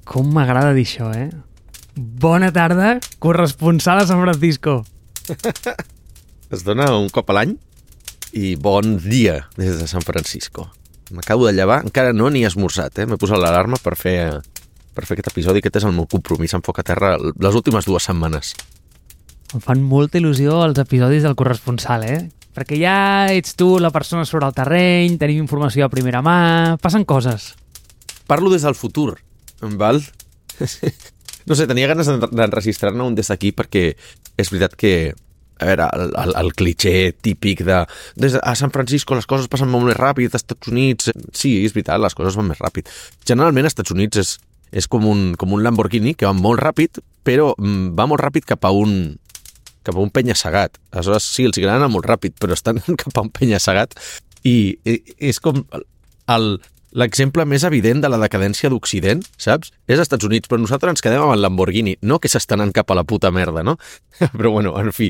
Com m'agrada dir això, eh? Bona tarda, corresponsal a San Francisco. Es dona un cop a l'any i bon dia des de San Francisco. M'acabo de llevar, encara no ni he esmorzat, M'he posat l'alarma per fer aquest episodi. Aquest és el meu compromís amb Foc a Terra les últimes 2 setmanes. Em fan molta il·lusió els episodis del corresponsal, Perquè ja ets tu la persona sobre el terreny, tenim informació a primera mà, passen coses. Parlo des del futur, val? No sé, tenia ganes d'enregistrar-ne un des d'aquí perquè és veritat que, a veure, el cliché típic des a San Francisco les coses passen molt més ràpid, als Estats Units... Sí, és veritat, les coses van més ràpid. Generalment, als Estats Units és com un Lamborghini que va molt ràpid, però va molt ràpid cap a un penya-segat. Aleshores, sí, els agrada anar molt ràpid, però estan cap a un penya-segat i és com l'exemple més evident de la decadència d'Occident, saps? És als Estats Units, però nosaltres ens quedem amb el Lamborghini, no que s'estan anant cap a la puta merda, no? Però bueno, en fi,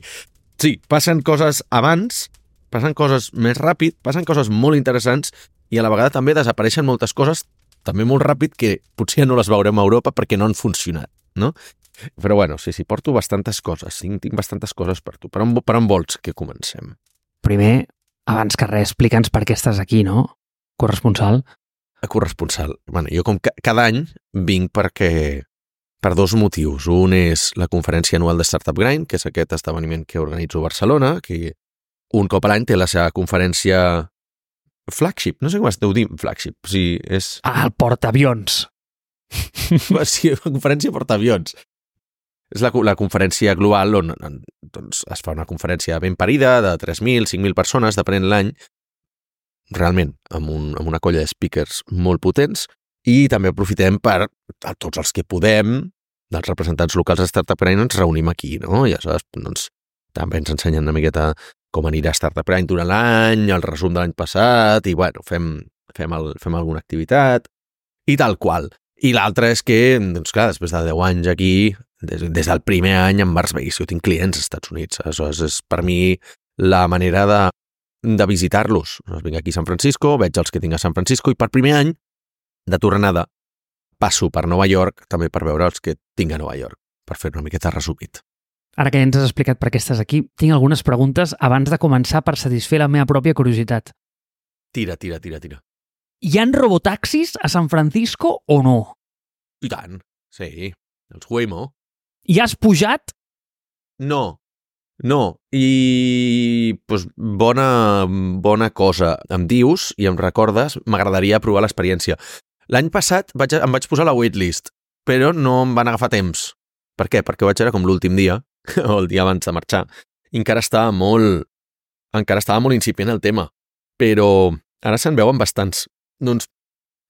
sí, passen coses abans, passen coses més ràpid, passen coses molt interessants i a la vegada també desapareixen moltes coses també molt ràpid que potser no les veurem a Europa perquè no han funcionat, no? Però bueno, sí, porto bastantes coses, tinc bastantes coses per tu. Per on vols que comencem? Primer, abans que res, explica'ns per què estàs aquí, no? Corresponsal. Corresponsal. Bueno, jo com cada any vinc per 2 motius. Un és la conferència anual de Startup Grind, que és aquest esdeveniment que organitzo a Barcelona, que un cop a l'any té la seva conferència flagship. No sé com es deu dir flagship. Sí, és... El portaavions. Sí, la conferència portaavions. És la conferència global on doncs, es fa una conferència ben parida de 3.000, 5.000 persones, depenent l'any, realment, amb una colla de speakers molt potents, i també aprofitem per, a tots els que podem, dels representants locals de Startup Grind, ens reunim aquí, no? I aleshores, doncs, també ens ensenyen una miqueta com anirà Startup Grind durant l'any, el resum de l'any passat, i bueno, fem alguna activitat, i tal qual. I l'altre és que, doncs clar, després de 10 anys aquí, des del primer any en Mars Base, jo tinc clients als Estats Units, aleshores és per mi la manera de visitar-los. Vinc aquí a San Francisco, veig els que tinc a San Francisco i per primer any, de tornada, passo per Nova York també per veure els que tinc a Nova York, per fer una miqueta resumit. Ara que ja ens has explicat per què estàs aquí, tinc algunes preguntes abans de començar per satisfer la meva pròpia curiositat. Tira. Hi han robotaxis a San Francisco o no? I tant, sí, els Waymo. Hi has pujat? No. I doncs, bona cosa. Em dius i em recordes, m'agradaria provar l'experiència. L'any passat em vaig posar a la waitlist, però no em van agafar temps. Per què? Perquè vaig veure com l'últim dia, o el dia abans de marxar, i encara estava molt incipient el tema. Però ara se'n veuen bastants. Doncs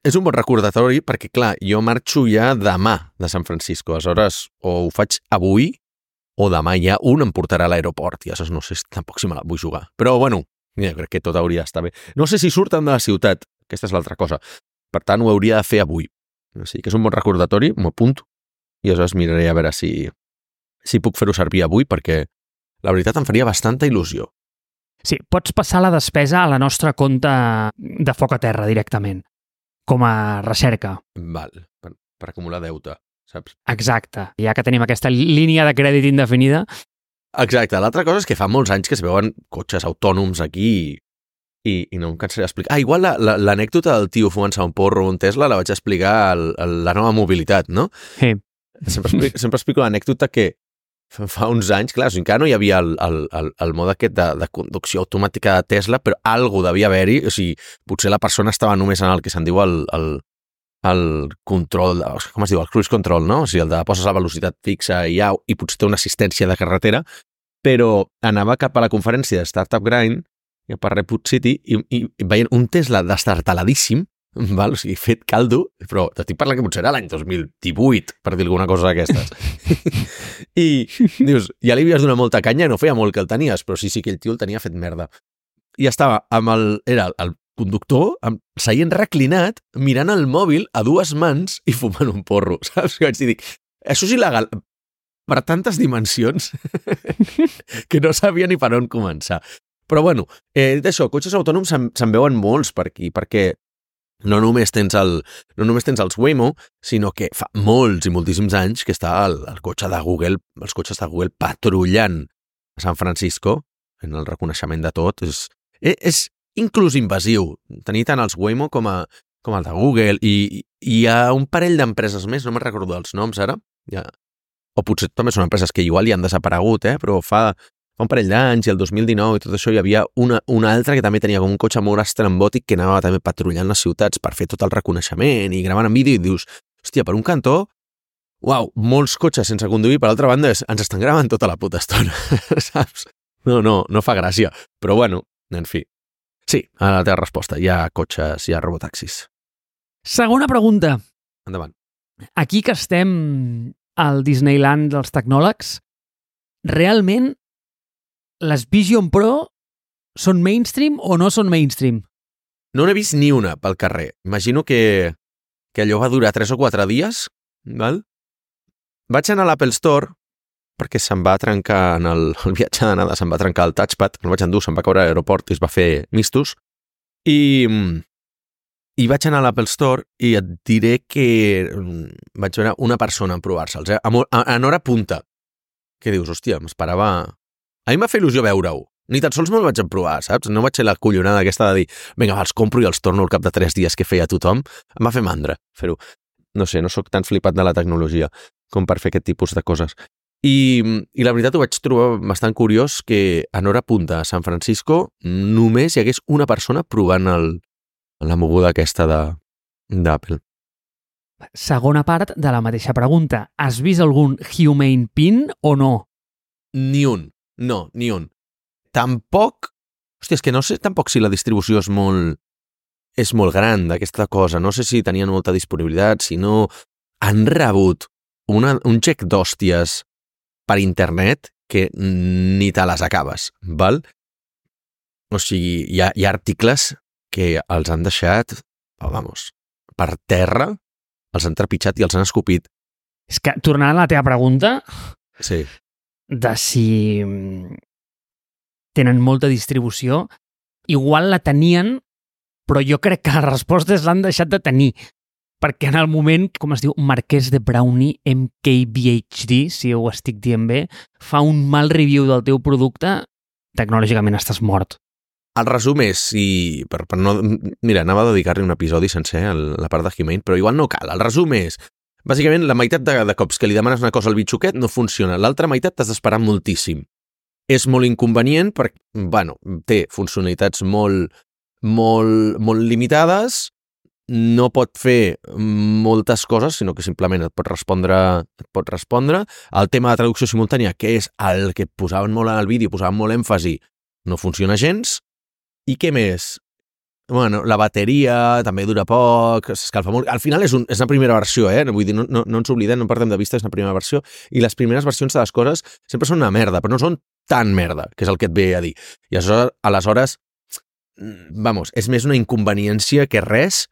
és un bon recordatori perquè, clar, jo marxo ja demà de San Francisco. Aleshores, o ho faig avui o demà ja un em portarà a l'aeroport. I aleshores no sé tampoc si me la vull jugar. Però, bueno, jo crec que tot hauria d'estar bé. No sé si surten de la ciutat. Aquesta és l'altra cosa. Per tant, ho hauria de fer avui. O sigui que és un bon recordatori, m'ho apunto. I aleshores miraré a veure si puc fer-ho servir avui perquè la veritat em faria bastanta il·lusió. Sí, pots passar la despesa a la nostra compte de Foc a Terra directament, com a recerca. Val, per acumular deute, saps? Exacte, ja que tenim aquesta línia de crèdit indefinida. Exacte, l'altra cosa és que fa molts anys que es veuen cotxes autònoms aquí i no em cansaré d'explicar. Igual l'anècdota del tio fumant-se un porro o un Tesla la vaig explicar a la nova mobilitat, no? Sí. Sempre explico l'anècdota que fa uns anys, clar, encara no hi havia el mode aquest de conducció automàtica de Tesla, però algo devia haver-hi, o sigui, potser la persona estava només en el que se'n diu el control, com es diu, el cruise control, no? O sigui, el de poses a velocitat fixa i potser té una assistència de carretera, però anava cap a la conferència de Startup Grind, per Redwood City, i veient un Tesla destartaladíssim, val? O sigui, fet caldo, però t'estic parlant que potser era l'any 2018, per dir alguna cosa d'aquestes. I dius, ja li havies donat molta canya, no feia molt que el tenies, però sí que el tio el tenia fet merda. I estava era el conductor, seient reclinat, mirant el mòbil a 2 mans i fumant un porro, saps? I vaig dir, això és il·legal per tantes dimensions que no sabia ni per on començar. Però bueno, dit això, cotxes autònoms se'n veuen molts per aquí, perquè no només tens els Waymo, sinó que fa molts i moltíssims anys que està el cotxe de Google, els cotxes de Google patrullant a San Francisco, en el reconeixement de tot. És inclús invasiu tenir tant els Waymo com el de Google, i hi ha un parell d'empreses més, no me'n recordo els noms ara, o potser també són empreses que igual hi han desaparegut, però fa un parell d'anys, i el 2019 i tot això, hi havia una altra que també tenia com un cotxe molt estrambòtic que anava també patrullant les ciutats per fer tot el reconeixement i gravant en vídeo, i dius, hòstia, per un cantó, uau, molts cotxes sense conduir, per l'altra banda ens estan gravant tota la puta estona, saps? No fa gràcia, però bueno, en fi. Sí, a la teva resposta, hi ha cotxes, hi ha robotaxis. Segona pregunta. Endavant. Aquí que estem al Disneyland dels tecnòlegs, realment les Vision Pro són mainstream o no són mainstream? No n'he vist ni una pel carrer. Imagino que allò va durar 3 o 4 dies, val? Vaig anar a l'Apple Store perquè se'm va trencar en el viatge d'anada, se'm va trencar el touchpad, el vaig endur, se'm va caure a l'aeroport i es va fer mistos. I vaig anar a l'Apple Store i et diré que vaig veure una persona en provar-se'ls, en hora punta. Que dius, hòstia, m'esperava... A mi em va fer il·lusió veure-ho. Ni tan sols me'l vaig emprovar, saps? No vaig ser la collonada aquesta de dir, vinga, els compro i els torno al cap de 3 dies que feia tothom. Em va fer mandra fer-ho. No sé, no sóc tan flipat de la tecnologia com per fer aquest tipus de coses. I la veritat ho vaig trobar bastant curiós que en hora punta a San Francisco només hi hagués una persona provant la moguda aquesta d'Apple. Segona part de la mateixa pregunta. Has vist algun Humane Pin o no? Ni un. No, ni un. Tampoc... Hòstia, és que no sé tampoc si la distribució és molt gran d'aquesta cosa. No sé si tenien molta disponibilitat, si no... Han rebut un xec d'hòsties per internet que ni te les acabes, val? O sigui, hi ha articles que els han deixat, per terra, els han trepitjat i els han escopit. És que, tornant a la teva pregunta... Sí. De si tenen molta distribució, igual la tenien, però jo crec que les respostes l'han deixat de tenir, perquè en el moment, com es diu, Marquès de Brownie, MKBHD, si ho estic dient bé, fa un mal review del teu producte, tecnològicament estàs mort. El resum és, per no... Mira, anava a dedicar-li un episodi sencer a la part de Humane, però igual no cal. El resum és, bàsicament, la meitat de cops que li demanes una cosa al bitxoquet no funciona. L'altra meitat t'has d'esperar moltíssim. És molt inconvenient perquè, té funcionalitats molt limitades, no pot fer moltes coses, sinó que simplement et pot respondre. El tema de traducció simultània, que és el que posaven molt en el vídeo, posaven molt èmfasi, no funciona gens. I què més? La bateria també dura poc, s'escalfa molt. Al final és la primera versió, vull dir, no ens oblidem, no perdem de vista, és la primera versió, i les primeres versions de les coses sempre són una merda, però no són tan merda, que és el que et ve a dir. I aleshores, és més una inconveniència que res,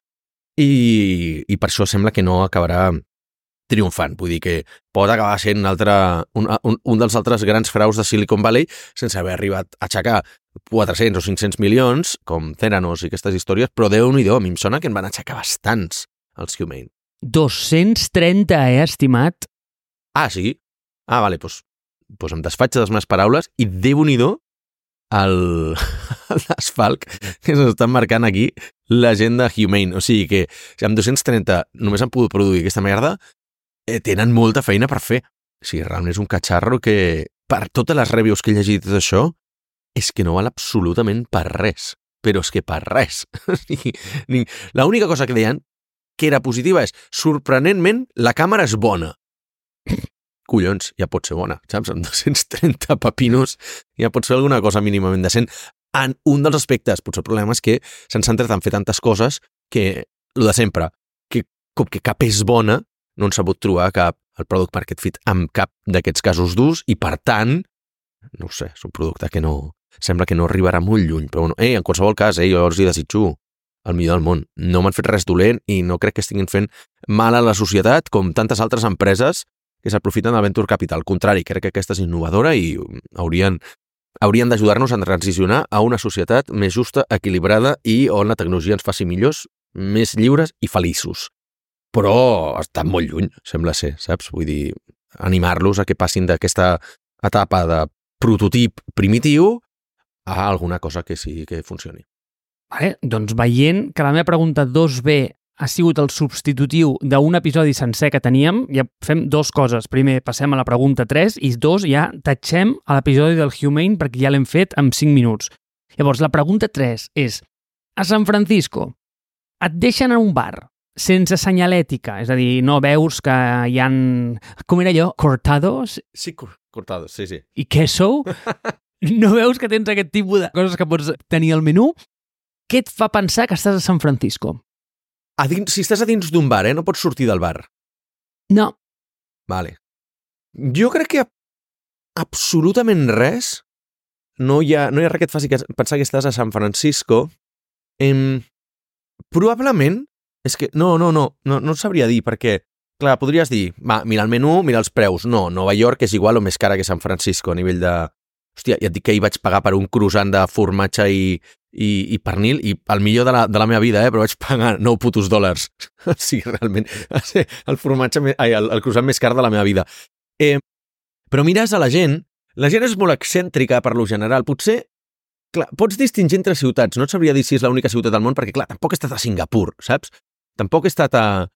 i per això sembla que no acabarà triomfant. Vull dir que pot acabar sent un dels altres grans fraus de Silicon Valley sense haver arribat a aixecar 400 o 500 milions, com Theranos i aquestes històries, però Déu-n'hi-do, a mi em sona que en van aixecar bastants, els Humane. 230, estimat? Ah, sí? Ah, vale, doncs em desfaig de les meves paraules i Déu-n'hi-do l'asfalt que s'estan marcant aquí la gent de Humane. O sigui que si amb 230 només han pogut produir aquesta merda, tenen molta feina per fer. O sigui, realment és un catxarro que, per totes les reviews que he llegit tot això, és que no val absolutament per res. Però és que per res. L'única cosa que deien que era positiva és, sorprenentment, la càmera és bona. Collons, ja pot ser bona, saps? Amb 230 papinos ja pot ser alguna cosa mínimament decent. En un dels aspectes, potser el problema és que s'han centrat en fer tantes coses que, el de sempre, que com que cap és bona, no han sabut trobar el product market fit amb cap d'aquests casos d'ús i, per tant, no ho sé, és un producte que no... Sembla que no arribarà molt lluny, però bueno, en qualsevol cas, jo els hi desitjo el millor del món. No m'han fet res dolent i no crec que estiguin fent mal a la societat com tantes altres empreses que s'aprofiten del venture capital. Al contrari, crec que aquesta és innovadora i haurien d'ajudar-nos a transicionar a una societat més justa, equilibrada i on la tecnologia ens faci millors més lliures i feliços. Però estan molt lluny, sembla ser, saps? Vull dir, animar-los a que passin d'aquesta etapa de prototip primitiu a alguna cosa que sí que funcioni. Vale, doncs veient que la meva pregunta 2B ha sigut el substitutiu d'un episodi sencer que teníem, ja fem dues coses. Primer, passem a la pregunta 3 i 2, ja tatxem a l'episodi del Humane perquè ja l'hem fet en 5 minuts. Llavors, la pregunta 3 és: a San Francisco et deixen en un bar sense senyalètica, és a dir, no veus que hi ha... Com era allò? Cortados? Sí, cortados, sí. I queso? No veus que tens aquest tipus de coses que pots tenir al menú? Què et fa pensar que estàs a San Francisco? Si estàs a dins d'un bar, no pots sortir del bar. No. Vale. Jo crec que absolutament res, no hi ha res que et faci pensar que estàs a San Francisco. Probablement, és que no sabria dir, perquè, clar, podries dir, mira el menú, mira els preus. No, Nova York és igual o més cara que San Francisco a nivell de... Hòstia, ja et dic que hi vaig pagar per un croissant de formatge i pernil, i el millor de la meva vida, però vaig pagar $9. Sí, realment, va ser el croissant més car de la meva vida. Però mires a la gent és molt excèntrica per lo general. Potser, clar, pots distingir entre ciutats, no et sabria dir si és l'única ciutat del món, perquè, clar, tampoc he estat a Singapur, saps? Tampoc he estat a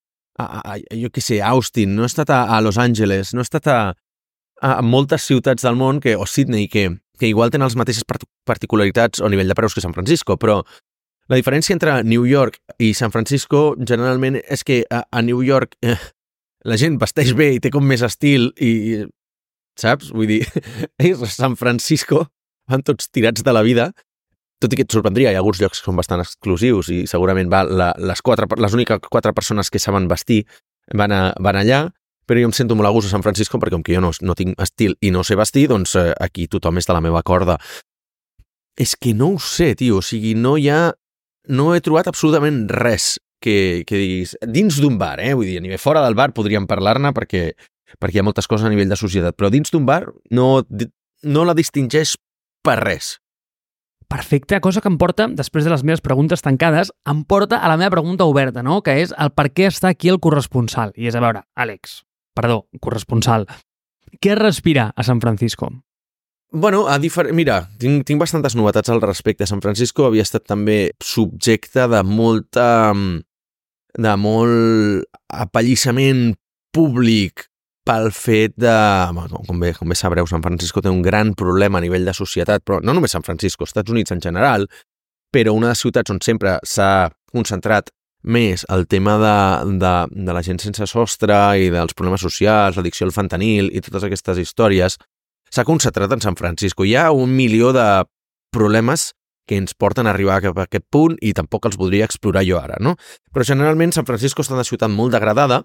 jo què sé, Austin, no he estat a Los Angeles, no he estat a moltes ciutats del món, o Sydney, que igual tenen les mateixes particularitats o nivell de preus que San Francisco, però la diferència entre New York i San Francisco generalment és que a New York la gent vesteix bé i té com més estil i saps? Vull dir, a San Francisco van tots tirats de la vida, tot i que et sorprendria, hi ha alguns llocs que són bastant exclusius i segurament les úniques 4 persones que saben vestir van allà, però jo em sento molt a gust a San Francisco perquè com que jo no tinc estil i no sé vestir, doncs aquí tothom és de la meva corda. És que no ho sé, tio, o sigui, no he trobat absolutament res que diguis, dins d'un bar, vull dir, a nivell fora del bar podríem parlar-ne perquè hi ha moltes coses a nivell de societat, però dins d'un bar no la distingeix per res. Perfecte, cosa que em porta, després de les meves preguntes tancades, em porta a la meva pregunta oberta, no? Que és el per què està aquí el corresponsal. I és, a veure, corresponsal, què respira a San Francisco? Bueno, mira, tinc bastantes novetats al respecte. San Francisco havia estat també subjecte de molt apallissament públic pel fet de... Com bé sabreu, San Francisco té un gran problema a nivell de societat, però no només San Francisco, Estats Units en general, però una de les ciutats on sempre s'ha concentrat més el tema de la gent sense sostre i dels problemes socials, l'addicció al fentanil i totes aquestes històries, s'ha concentrat en San Francisco. Hi ha 1 milió de problemes que ens porten a arribar a aquest punt i tampoc els voldria explorar jo ara, no? Però generalment San Francisco està una ciutat molt degradada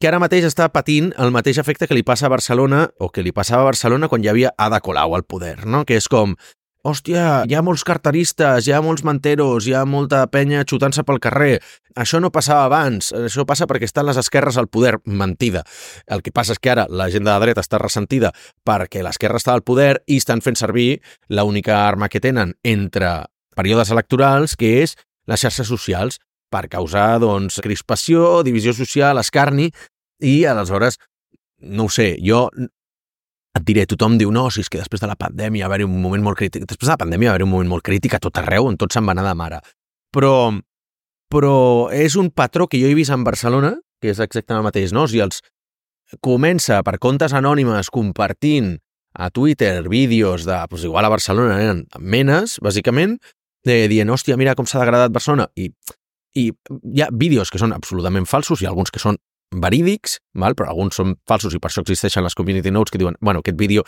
que ara mateix està patint el mateix efecte que li passa a Barcelona o que li passava a Barcelona quan hi havia Ada Colau al poder, no? Que és com, hòstia, hi ha molts carteristes, hi ha molts manteros, hi ha molta penya xutant-se pel carrer. Això no passava abans, això passa perquè estan les esquerres al poder. Mentida. El que passa és que ara la gent de la dreta està ressentida perquè l'esquerra està al poder i estan fent servir l'única arma que tenen entre períodes electorals, que és les xarxes socials, per causar, doncs, crispació, divisió social, escarni, i aleshores, no ho sé, jo et diré, tothom diu, no, si és que després de la pandèmia va haver-hi un moment molt crític. Després de la pandèmia va haver-hi un moment molt crític a tot arreu, on tot se'n va anar de mare. Però és un patró que jo he vist en Barcelona, que és exactament el mateix, no? O sigui, comença per comptes anònimes compartint a Twitter vídeos de, doncs igual a Barcelona eren menes, bàsicament, dient, hòstia, mira com s'ha degradat Barcelona, i hi ha vídeos que són absolutament falsos i alguns que són verídics, però alguns són falsos i per això existeixen les community notes que diuen, bueno, aquest vídeo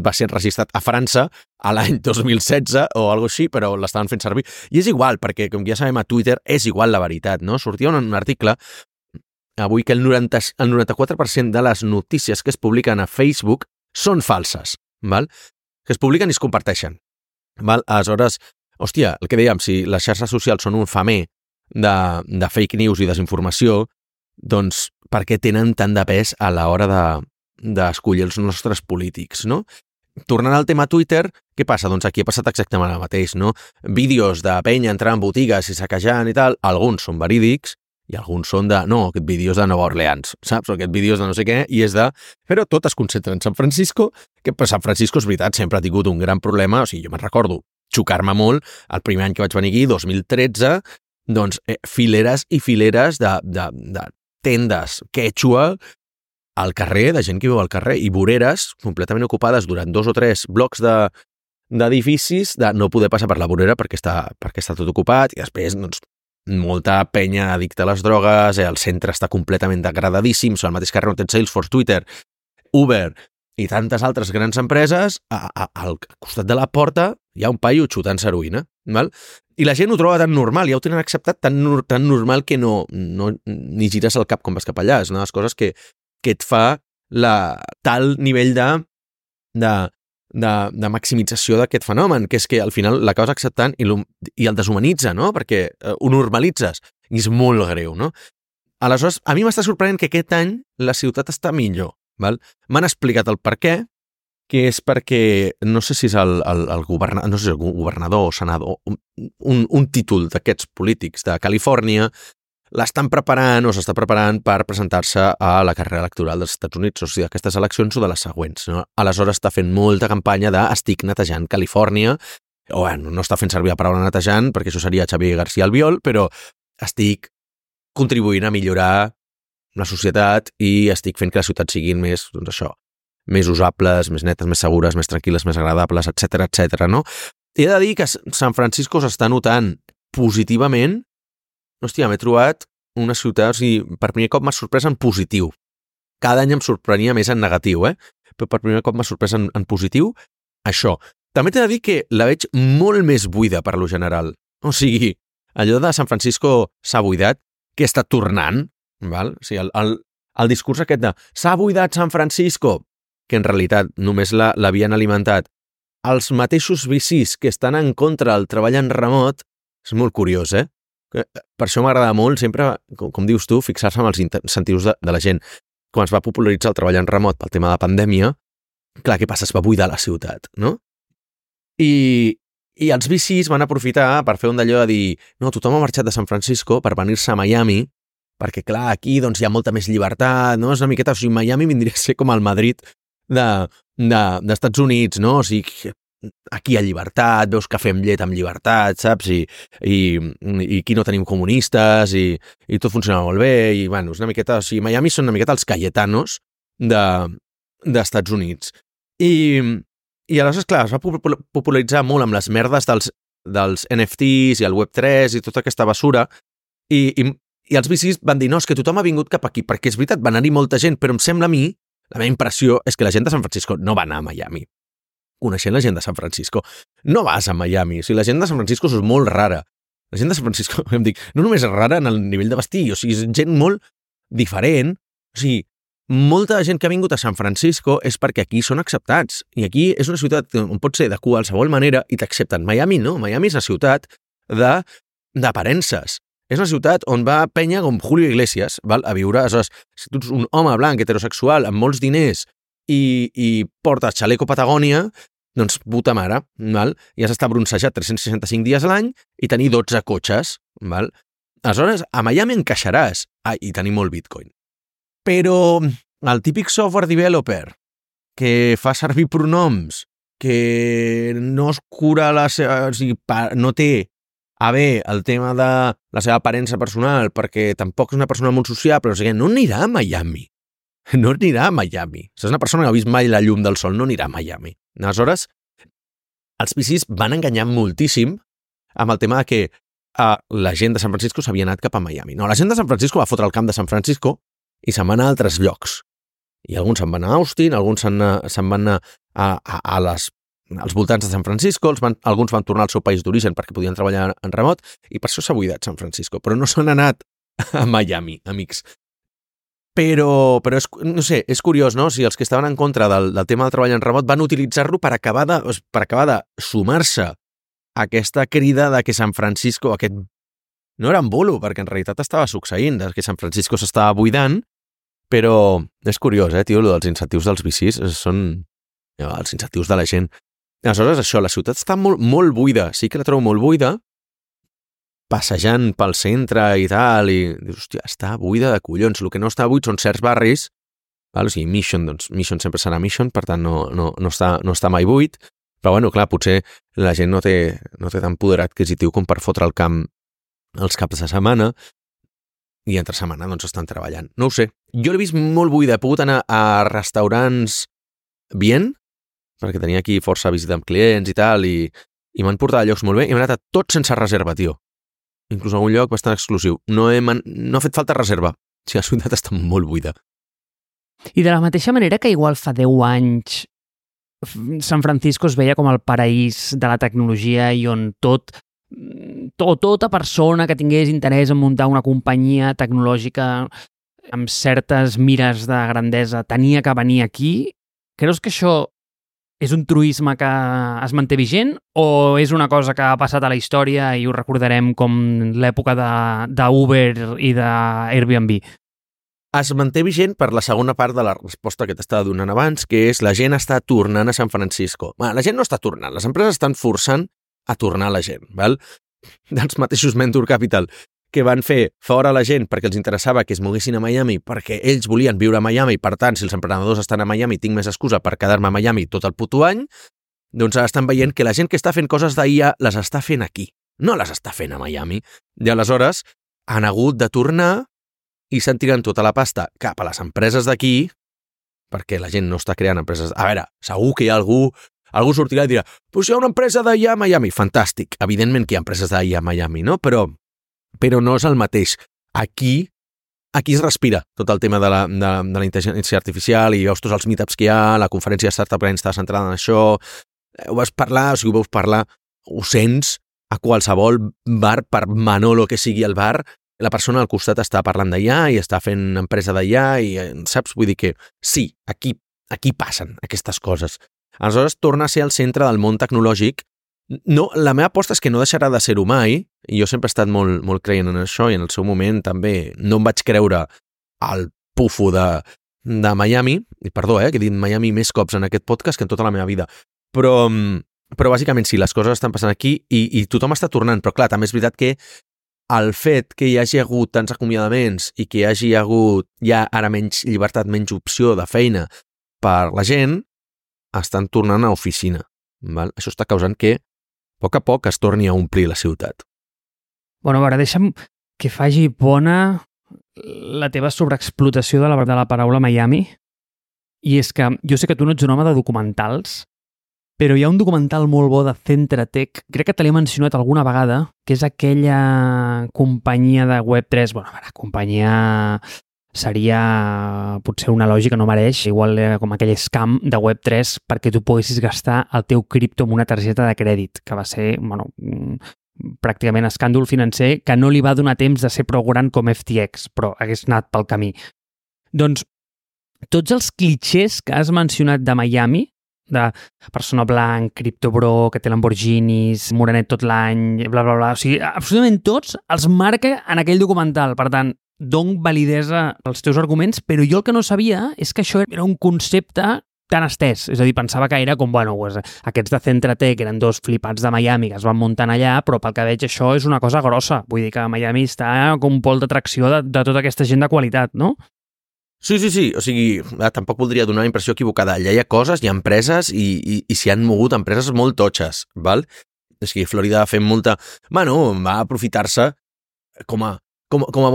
va ser registrat a França a l'any 2016 o alguna així, però l'estaven fent servir. I és igual, perquè com ja sabem a Twitter és igual la veritat, no? Sortia un article avui que el 94% de les notícies que es publiquen a Facebook són falses, que es publiquen i es comparteixen. Aleshores, hòstia, el que dèiem, si les xarxes socials són un femer de fake news i desinformació, doncs per què tenen tant de pes a l'hora d'escollir els nostres polítics, no? tornant al tema Twitter, què passa? Doncs aquí ha passat exactament el mateix, no? Vídeos de penya entrant en botigues i saquejant i tal, alguns són verídics i alguns són de, no, aquest vídeo és de Nova Orleans, saps? O aquest vídeo és de no sé què, i és de... Però tot es concentra en San Francisco, que per San Francisco és veritat, sempre ha tingut un gran problema, o sigui, jo me'n recordo xocar-me molt el primer any que vaig venir aquí, 2013, doncs fileres i fileres de tendes quechua al carrer, de gent que viu al carrer, i voreres completament ocupades durant 2 o 3 blocs d'edificis de no poder passar per la vorera perquè està tot ocupat, i després, doncs, molta penya addicta a les drogues, el centre està completament degradadíssim, al mateix carrer on tens Salesforce, Twitter, Uber i tantes altres grans empreses, al costat de la porta hi ha un paio xutant heroïna, val? I la gent ho troba tan normal, ja ho tenen acceptat tan normal que no ni gires el cap quan vas cap allà. És una de les coses que et fa tal nivell de maximització d'aquest fenomen, que és que al final l'acabes acceptant i el deshumanitza, no? Perquè ho normalitzes i és molt greu, no? Aleshores, a mi m'està sorprenent que aquest any la ciutat està millor, val? M'han explicat el per què, que és perquè, no sé si és el governador o senador, un títol d'aquests polítics de Califòrnia, l'estan preparant o s'està preparant per presentar-se a la carrera electoral dels Estats Units, o sigui, d'aquestes eleccions o de les següents, no? Aleshores està fent molta campanya de estic netejant Califòrnia, o bueno, no està fent servir la paraula netejant, perquè això seria Xavier García Albiol, però estic contribuint a millorar la societat i estic fent que les ciutats siguin més, doncs això, més usables, més netes, més segures, més tranquil·les, més agradables, etc, no? He de dir que San Francisco s'està notant positivament. Hòstia, m'he trobat una ciutat, o sigui, per primer cop m'ha sorprès en positiu. Cada any em sorprenia més en negatiu, però per primer cop m'ha sorprès en positiu això. També t'he de dir que la veig molt més buida per lo general. O sigui, allò de San Francisco s'ha buidat, que està tornant, val? O sigui, el discurs aquest de s'ha buidat San Francisco, que en realitat només l'havien alimentat els mateixos VCs que estan en contra del treball en remot, és molt curiós, Per això m'agrada molt sempre, com dius tu, fixar-se en els incentius de la gent. Quan es va popularitzar el treball en remot pel tema de la pandèmia, clar, què passa? Es va buidar la ciutat, no? I els VCs van aprofitar per fer un d'allò de dir no, tothom ha marxat de San Francisco per venir-se a Miami, perquè clar, aquí doncs, hi ha molta més llibertat, no? És una miqueta, o sigui, Miami vindria a ser com el Madrid d'Estats Units, no? O sigui, aquí hi ha llibertat, veus cafè amb llet amb llibertat, saps? I aquí no tenim comunistes i tot funciona molt bé i, bueno, és una miqueta... O sigui, Miami són una miqueta els Cayetanos d'Estats Units. I aleshores, clar, es va popularitzar molt amb les merdes dels NFTs i el Web3 i tota aquesta basura i els VCs van dir, no, és que tothom ha vingut cap aquí, perquè és veritat, va anar-hi molta gent, però em sembla a mi, la meva impressió és que la gent de San Francisco no va anar a Miami. Coneixent la gent de San Francisco, no vas a Miami. O sigui, la gent de San Francisco és molt rara. La gent de San Francisco, em dic, no només és rara en el nivell de vestir, o sigui, és gent molt diferent. O sigui, molta gent que ha vingut a San Francisco és perquè aquí són acceptats. I aquí és una ciutat on pot ser de qualsevol manera i t'accepten. Miami no. Miami és una ciutat d'aparences. És una ciutat on va penya com Julio Iglesias, val? A viure. Aleshores, si tu ets un home blanc, heterosexual, amb molts diners i portes xaleco Patagònia, doncs puta mare, val? I has d'estar bronzejat 365 dies a l'any i tenir 12 cotxes, val? Aleshores, a Miami encaixaràs i tenir molt Bitcoin. Però el típic software developer que fa servir pronoms, que no es cura o sigui, no té a bé el tema de la seva aparença personal perquè tampoc és una persona molt sociable, o sigui, no anirà a Miami. No anirà a Miami. Si és una persona que ha vist mai la llum del sol, no anirà a Miami. Aleshores, els VCs van enganyar moltíssim amb el tema de que la gent de San Francisco s'havia anat cap a Miami. No, la gent de San Francisco va fotre el camp de San Francisco i se'n van anar a altres llocs. I alguns se'n van anar a Austin, alguns se'n van anar als voltants de San Francisco, alguns van tornar al seu país d'origen perquè podien treballar en remot, i per això s'ha buidat San Francisco. Però no s'han anat a Miami, amics. Però no sé, és curiós, no? O sigui, els que estaven en contra del tema del treball en remot van utilitzar-lo per acabar de sumar-se a aquesta crida de que San Francisco, no era en bulo, perquè en realitat estava succeint, que San Francisco s'estava buidant, però és curiós, tio, dels incentius dels VCs són els incentius de la gent. Aleshores, això, la ciutat està molt, molt buida, sí que la trobo molt buida, passejant pel centre i tal, i dius, hòstia, està buida de collons. El que no està buit són certs barris, val? O sigui, Mission sempre serà Mission, per tant no està mai buit, però bueno, clar, potser la gent no té tan poder adquisitiu com per fotre el camp els caps de setmana, i entre setmana doncs estan treballant. No ho sé, jo l'he vist molt buida, he pogut anar a restaurants bien, perquè tenia aquí força visita amb clients i tal, i m'han portat a llocs molt bé, i m'he anat a tot sense reserva, tio. Inclús a un lloc bastant exclusiu. No ha fet falta reserva. O sigui, la ciutat està molt buida. I de la mateixa manera que igual fa 10 anys San Francisco es veia com el paraís de la tecnologia i on tota persona que tingués interès en muntar una companyia tecnològica amb certes mires de grandesa tenia que venir aquí, creus que això és un truisme que es manté vigent o és una cosa que ha passat a la història i ho recordarem com l'època d'Uber i d'Airbnb? Es manté vigent per la segona part de la resposta que t'estava donant abans, que és la gent està tornant a San Francisco. La gent no està tornant, les empreses estan forçant a tornar la gent, val? Dels mateixos Venture Capital, que van fer fora la gent perquè els interessava que es moguessin a Miami, perquè ells volien viure a Miami, per tant, si els emprenedors estan a Miami, tinc més excusa per quedar-me a Miami tot el puto any, doncs estan veient que la gent que està fent coses d'IA les està fent aquí, no les està fent a Miami. I aleshores han hagut de tornar i s'han tirat tota la pasta cap a les empreses d'aquí, perquè la gent no està creant empreses... A veure, segur que hi ha algú sortirà i dirà «Pues hi ha una empresa d'IA a Miami». Fantàstic, evidentment que hi ha empreses d'IA a Miami, no? Però no és el mateix. Aquí es respira tot el tema de la intel·ligència artificial i veus tots els meetups que hi ha, la conferència de Startup Grind està centrada en això, ho veus parlar, ho sents a qualsevol bar, per Manolo que sigui el bar, la persona al costat està parlant d'IA i està fent empresa d'IA i, saps? Vull dir que sí, aquí passen aquestes coses. Aleshores, torna a ser el centre del món tecnològic. No, la meva aposta és que no deixarà de ser-ho mai, i jo sempre he estat molt, molt creient en això, i en el seu moment també no em vaig creure al pufo de Miami, i perdó, que he dit Miami més cops en aquest podcast que en tota la meva vida, però bàsicament sí, les coses estan passant aquí i tothom està tornant, però clar, també és veritat que el fet que hi hagi hagut tants acomiadaments i que hi hagi hagut ja ara menys llibertat, menys opció de feina per la gent, estan tornant a oficina. Val? Això està causant que a poc es torni a omplir la ciutat. Bueno, a veure, deixa'm que faci bona la teva sobreexplotació de la paraula Miami, i és que jo sé que tu no ets un home de documentals, però hi ha un documental molt bo de Centre Tech, crec que te l'he mencionat alguna vegada, que és aquella companyia de Web3, bueno, a veure, companyia seria potser una lògica, no mereix, igual com aquell scam de Web3 perquè tu poguessis gastar el teu cripto amb una targeta de crèdit, que va ser, bueno, pràcticament escàndol financer que no li va donar temps de ser prou gran com FTX, però hagués anat pel camí. Doncs tots els clixés que has mencionat de Miami, de persona blanc, criptobro, que té Lamborghinis, morenet tot l'any, bla, bla, bla, o sigui, absolutament tots els marca en aquell documental. Per tant, dono validesa als teus arguments, però jo el que no sabia és que això era un concepte tan estès. És a dir, pensava que era com, bueno, pues, aquests de Centre Tech eren dos flipats de Miami que es van muntant allà, però pel que veig això és una cosa grossa. Vull dir que Miami està com un pol d'atracció de tota aquesta gent de qualitat, no? Sí. O sigui, tampoc voldria donar una impressió equivocada. Allà hi ha coses, hi ha empreses i s'hi han mogut empreses molt totxes, val? O sigui, Florida fent molta... Bueno, va aprofitar-se com a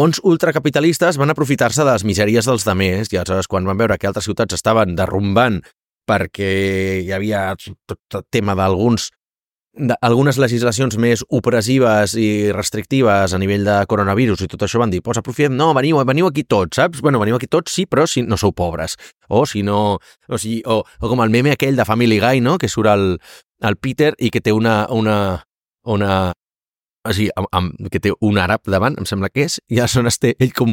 bons ultracapitalistes, van aprofitar-se de les misèries dels demés, i aleshores quan van veure que altres ciutats estaven derrumbant perquè hi havia tot el tema d'algunes legislacions més opressives i restrictives a nivell de coronavirus i tot això, van dir, pues aprofitem, no, veniu aquí tots, saps? Bueno, veniu aquí tots, sí, però si no sou pobres. O si no... O com el meme aquell de Family Guy, no?, que surt el Peter i que té o sigui, que té un àrab davant, em sembla que és, i aleshores té ell com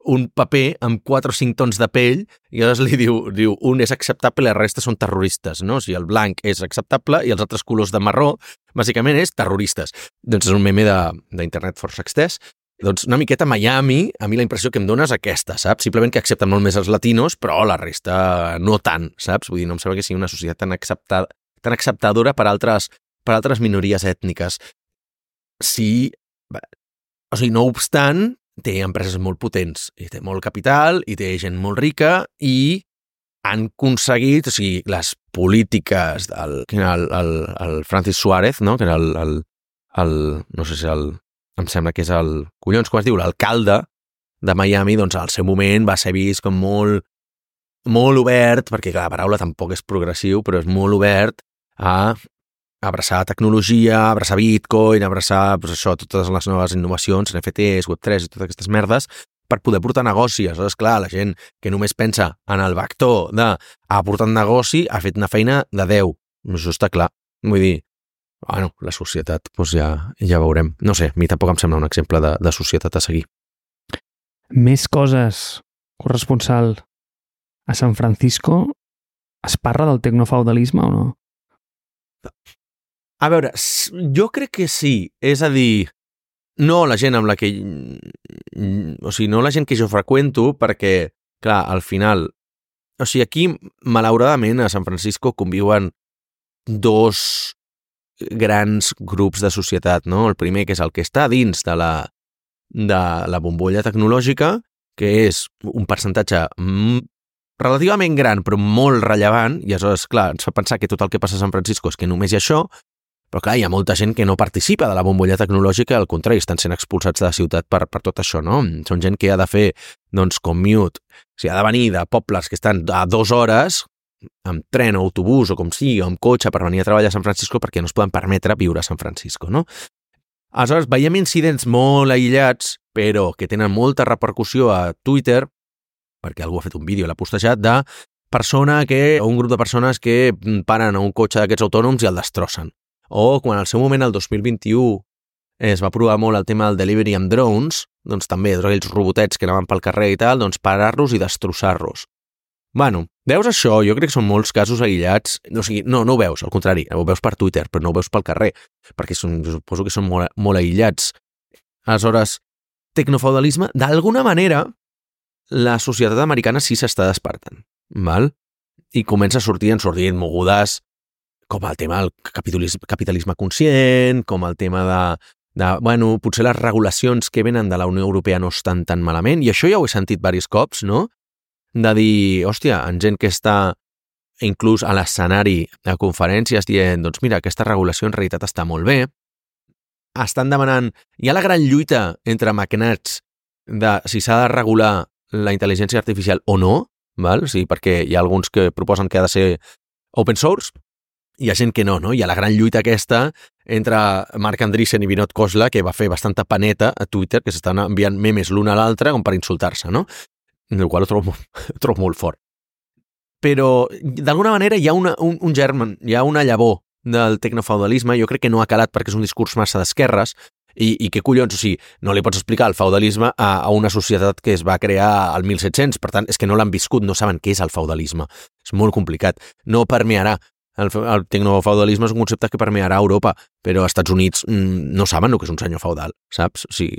un paper amb 4 o 5 tons de pell, i aleshores li diu un és acceptable i la resta són terroristes, no? O sigui, el blanc és acceptable i els altres colors de marró, bàsicament, és terroristes. Doncs és un meme d'internet força extès, Doncs una miqueta Miami, a mi la impressió que em dona és aquesta, saps? Simplement que accepten molt més els latinos, però la resta no tant, saps? Vull dir, no em sembla que sigui una societat tan acceptadora per altres minories ètniques. Sí, o sigui, no obstant, té empreses molt potents, i té molt capital, i té gent molt rica, i han aconseguit, o sigui, les polítiques el Francis Suárez, no? Que era no sé si em sembla que és collons, com es diu, l'alcalde de Miami, doncs al seu moment va ser vist com molt obert, perquè clar, la paraula tampoc és progressiu, però és molt obert a abraçar tecnologia, abraçar Bitcoin, abraçar doncs això, totes les noves innovacions, NFTs, Web3 i totes aquestes merdes, per poder portar negoci. Aleshores, clar, la gent que només pensa en el vector d'aportar un negoci ha fet una feina de 10. Això està clar. Vull dir, bueno, la societat, doncs ja veurem. No sé, a mi tampoc em sembla un exemple de societat a seguir. Més coses, corresponsal. A San Francisco es parla del tecnofeudalisme o no? A veure, jo crec que sí. És a dir, no la gent amb la que... O sigui, no la gent que jo freqüento, perquè, clar, al final... O sigui, aquí, malauradament, a San Francisco conviuen dos grans grups de societat, no? El primer, que és el que està dins de la bombolla tecnològica, que és un percentatge relativament gran, però molt rellevant, i aleshores, clar, ens fa pensar que tot el que passa a San Francisco és que només hi ha això, però clar, hi ha molta gent que no participa de la bombolla tecnològica, al contrari, estan sent expulsats de la ciutat per tot això, no? Són gent que ha de fer, doncs, commute, o sigui, ha de venir de pobles que estan a 2 hores, amb tren o autobús o com sigui, o amb cotxe per venir a treballar a San Francisco perquè no es poden permetre viure a San Francisco, no? Aleshores, veiem incidents molt aïllats, però que tenen molta repercussió a Twitter, perquè algú ha fet un vídeo i l'ha postejat, un grup de persones que paren a un cotxe d'aquests autònoms i el destrossen. O quan al seu moment, el 2021, es va provar molt el tema del delivery amb drones, doncs també aquells robotets que anaven pel carrer i tal, doncs parar-los i destrossar-los. Bueno, veus això? Jo crec que són molts casos aïllats. O sigui, no ho veus, al contrari, ho veus per Twitter, però no ho veus pel carrer, perquè suposo que són molt aïllats. Aleshores, tecnofeudalisme, d'alguna manera, la societat americana sí s'està despertant, val? I comença a sortir mogudes com el tema del capitalisme conscient, com el tema bueno, potser les regulacions que venen de la Unió Europea no estan tan malament, i això ja ho he sentit diversos cops, no? De dir, hòstia, en gent que està inclús a l'escenari de conferències dient, doncs mira, aquesta regulació en realitat està molt bé, estan demanant... Hi ha la gran lluita entre magnats de si s'ha de regular la intel·ligència artificial o no, val? O sigui, perquè hi ha alguns que proposen que ha de ser open source, hi ha gent que no? Hi ha la gran lluita aquesta entre Marc Andreessen i Vinod Khosla, que va fer bastanta paneta a Twitter, que s'estan enviant memes l'un a l'altre com per insultar-se, no? El qual ho trobo molt fort. Però, d'alguna manera, hi ha un germen, hi ha una llavor del tecnofeudalisme, jo crec que no ha calat perquè és un discurs massa d'esquerres, i què collons, o sigui, no li pots explicar el feudalisme a una societat que es va crear al 1700, per tant, és que no l'han viscut, no saben què és el feudalisme. És molt complicat. No permearà. El tecnofeudalisme és un concepte que permearà a Europa, però als Estats Units no saben el que és un senyor feudal, saps? O sigui,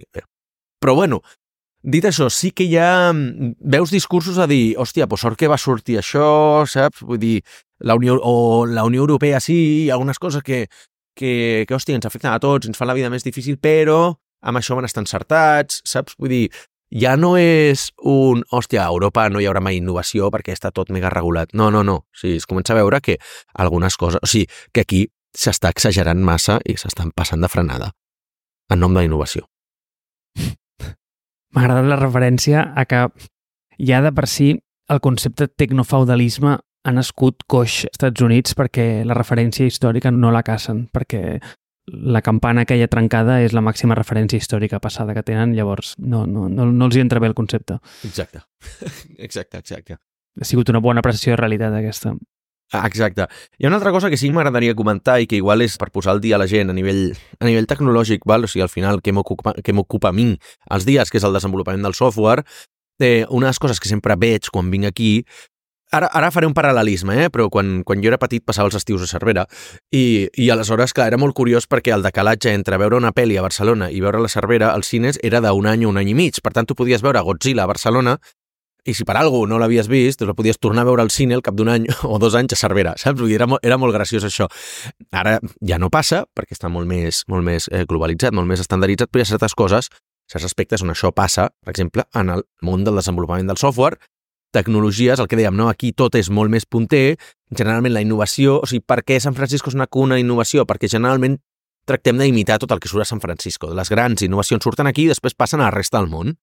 però bueno, dit això, sí que ja veus discursos a dir, hòstia, doncs sort que va sortir això, saps? Vull dir, la Unió Europea sí, hi ha algunes coses que hòstia, ens afecten a tots, ens fan la vida més difícil, però amb això van estar encertats, saps? Vull dir, ja no és hòstia, a Europa no hi haurà mai innovació perquè està tot mega regulat. No. O sigui, es comença a veure que algunes coses... O sigui, que aquí s'està exagerant massa i s'estan passant de frenada en nom de la innovació. M'ha agradat la referència a que ja de per si el concepte tecnofeudalisme ha nascut coix als Estats Units perquè la referència històrica no la cacen, perquè la campana aquella trencada és la màxima referència històrica passada que tenen, llavors no els hi entra bé el concepte. Exacte. Ha sigut una bona apreciació de realitat aquesta. Exacte. Hi ha una altra cosa que sí que m'agradaria comentar i que igual és per posar el dia a la gent a nivell tecnològic, val? O sigui, al final, què m'ocupa a mi els dies, que és el desenvolupament del software. Una de les coses que sempre veig quan vinc aquí Ara faré un paral·lelisme, però quan jo era petit passava els estius a Cervera i aleshores, clar, era molt curiós perquè el decalatge entre veure una pel·li a Barcelona i veure la Cervera als cines era d'un any o un any i mig. Per tant, tu podies veure Godzilla a Barcelona i si per alguna cosa no l'havies vist, doncs la podies tornar a veure al cine al cap d'un any o 2 anys a Cervera, saps? Era molt graciós això. Ara ja no passa, perquè està molt més globalitzat, molt més estandarditzat, però hi ha certes coses, certs aspectes on això passa, per exemple, en el món del desenvolupament del software, tecnologies, el que dèiem, no? Aquí tot és molt més punter, generalment la innovació, o sigui, per què San Francisco és una cuna d'innovació? Perquè generalment tractem d'imitar tot el que surt a San Francisco. Les grans innovacions surten aquí i després passen a la resta del món.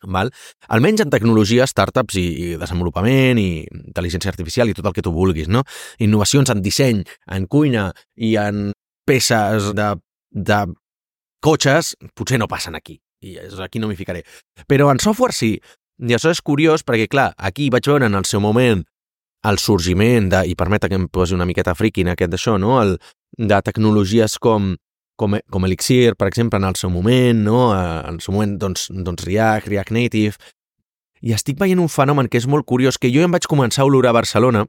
Val? Almenys en tecnologia, startups i desenvolupament i intel·ligència artificial i tot el que tu vulguis, no? Innovacions en disseny, en cuina i en peces de cotxes potser no passen aquí. I aquí no m'hi ficaré. Però en software sí. I això és curiós perquè, clar, aquí vaig veure en el seu moment el sorgiment i permeta que em posi una miqueta friqui en aquest d'això, no? De tecnologies com Elixir, per exemple, en el seu moment, no? En el seu moment, doncs React Native. I estic veient un fenomen que és molt curiós, que jo em vaig començar a olorar a Barcelona,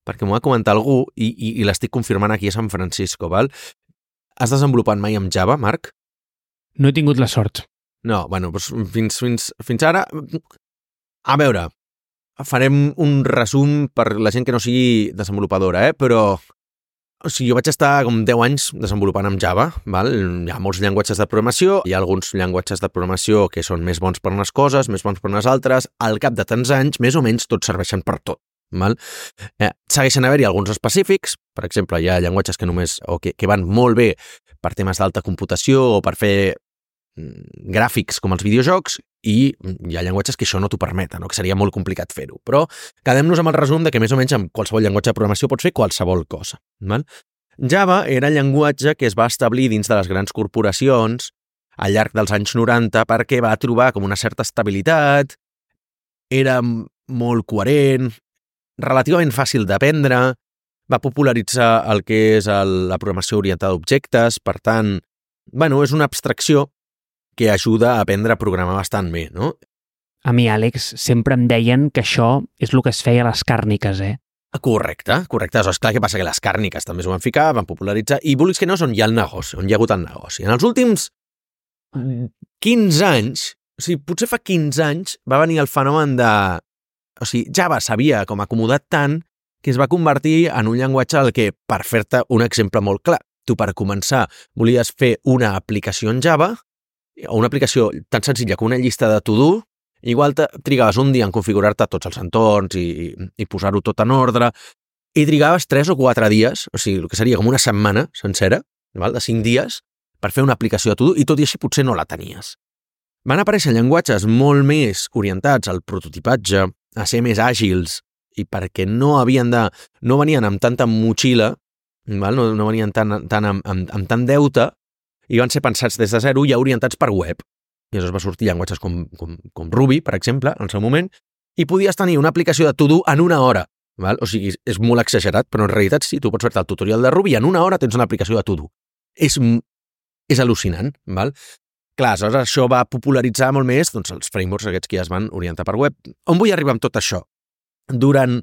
perquè m'ho va comentar algú, i l'estic confirmant aquí a San Francisco, val? Has desenvolupat mai amb Java, Marc? No he tingut la sort. No, bueno, doncs fins ara... A veure, farem un resum per la gent que no sigui desenvolupadora, però... O sigui, jo vaig estar com 10 anys desenvolupant amb Java, val? Hi ha molts llenguatges de programació, hi ha alguns llenguatges de programació que són més bons per unes coses, més bons per unes altres, al cap de tants anys, més o menys, tots serveixen per tot, val? Segueixen haver-hi alguns específics, per exemple, hi ha llenguatges que van molt bé per temes d'alta computació o per fer gràfics com els videojocs, i hi ha llenguatges que això no t'ho permeten, no? Que seria molt complicat fer-ho. Però quedem-nos amb el resum de que més o menys amb qualsevol llenguatge de programació pots fer qualsevol cosa. Val? Java era el llenguatge que es va establir dins de les grans corporacions al llarg dels anys 90 perquè va trobar com una certa estabilitat, era molt coherent, relativament fàcil d'aprendre, va popularitzar el que és la programació orientada a objectes, per tant, bueno, és una abstracció que ajuda a aprendre a programar bastant bé, no? A mi, Àlex, sempre em deien que això és el que es feia a les càrniques, Correcte. És clar que passa que les càrniques també s'ho van ficar, van popularitzar, i vulguis que no, on hi ha el negoci, on hi ha hagut el negoci. En els últims 15 anys, o sigui, potser fa 15 anys, va venir el fenomen de... O sigui, Java s'havia com acomodat tant que es va convertir en un llenguatge al que, per fer-te un exemple molt clar, tu per començar volies fer una aplicació en Java, o una aplicació tan senzilla com una llista de to-do, igual trigaves un dia en configurar-te tots els entorns i posar-ho tot en ordre, i trigaves 3 o 4 dies, o sigui, el que seria com una setmana sencera, val? De 5 dies, per fer una aplicació de to-do, i tot i així potser no la tenies. Van aparèixer llenguatges molt més orientats al prototipatge, a ser més àgils, i perquè no venien amb tanta motxilla, val? No venien amb tant deute, i van ser pensats des de zero i orientats per web. I llavors va sortir llenguatges com Ruby, per exemple, en el seu moment, i podies tenir una aplicació de to-do en 1 hora. Val? O sigui, és molt exagerat, però en realitat sí, tu pots fer-te el tutorial de Ruby i en 1 hora tens una aplicació de to-do. És al·lucinant, val? Clar, aleshores això va popularitzar molt més doncs, els frameworks aquests que ja es van orientar per web. On vull arribar amb tot això? Durant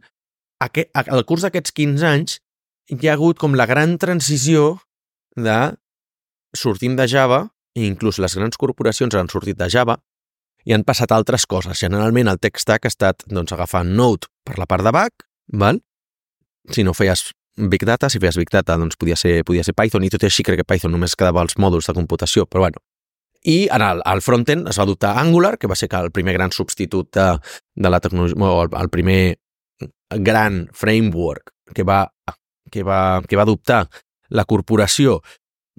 el curs d'aquests 15 anys hi ha hagut com la gran transició de sortim de Java, i inclús les grans corporacions han sortit de Java i han passat altres coses. Generalment el tech stack ha estat agafar Node per la part de back, val? Si no feies Big Data, doncs podia ser Python, i tot i així crec que Python només quedava als mòduls de computació, però bueno. I al frontend es va adoptar Angular, que va ser el primer gran substitut de la tecnologia, o el primer gran framework que va adoptar la corporació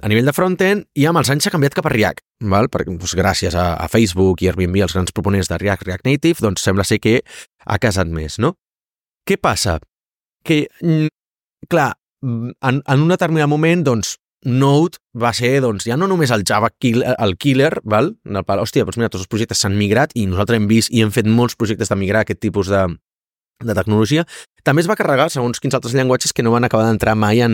a nivell de frontend, i amb els anys s'ha canviat cap a React, val? Perquè, doncs, gràcies a Facebook i Airbnb, els grans proponents de React Native, doncs sembla ser que ha casat més, no? Què passa? Que, clar, en un determinat moment, doncs, Node va ser, doncs, ja no només el Java el killer, val? Hòstia, doncs mira, tots els projectes s'han migrat i nosaltres hem vist i hem fet molts projectes de migrar aquest tipus de tecnologia. També es va carregar segons quins altres llenguatges que no van acabar d'entrar mai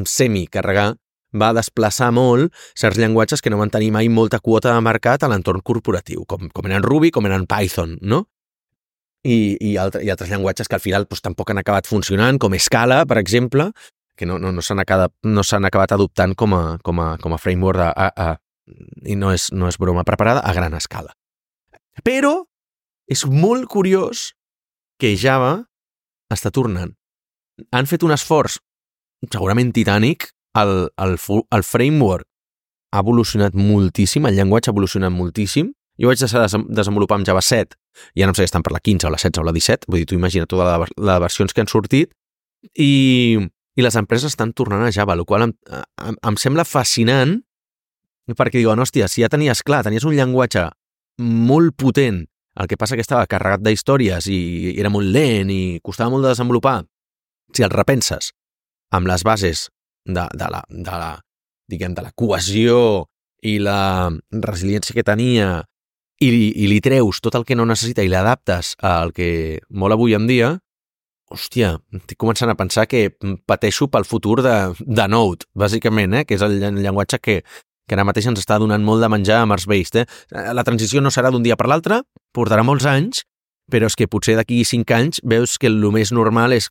semi-carregar, va desplaçar molt certs llenguatges que no van tenir mai molta quota de mercat a l'entorn corporatiu, com eren Ruby, com eren Python, no? i altres llenguatges que al final doncs, tampoc han acabat funcionant, com Scala, per exemple, que no s'han acabat adoptant com a framework i no és broma preparada a gran escala. Però és molt curiós que Java està tornant. Han fet un esforç segurament titànic, el framework ha evolucionat moltíssim, el llenguatge ha evolucionat moltíssim. Jo vaig deixar de desenvolupar amb Java 7, ja no sé si estan per la 15 o la 16 o la 17, vull dir, tu imagina totes les versions que han sortit, i les empreses estan tornant a Java, el qual em sembla fascinant, perquè diuen, hòstia, si ja tenies un llenguatge molt potent, el que passa que estava carregat d'històries i era molt lent i costava molt de desenvolupar, si el repenses amb les bases de la cohesió i la resiliència que tenia i li treus tot el que no necessita i l'adaptes al que vol avui en dia, hòstia, estic començant a pensar que pateixo pel futur de Node, bàsicament, que és el llenguatge que ara mateix ens està donant molt de menjar a Mars-based. La transició no serà d'un dia per l'altre, portarà molts anys, però és que potser d'aquí 5 anys veus que el més normal és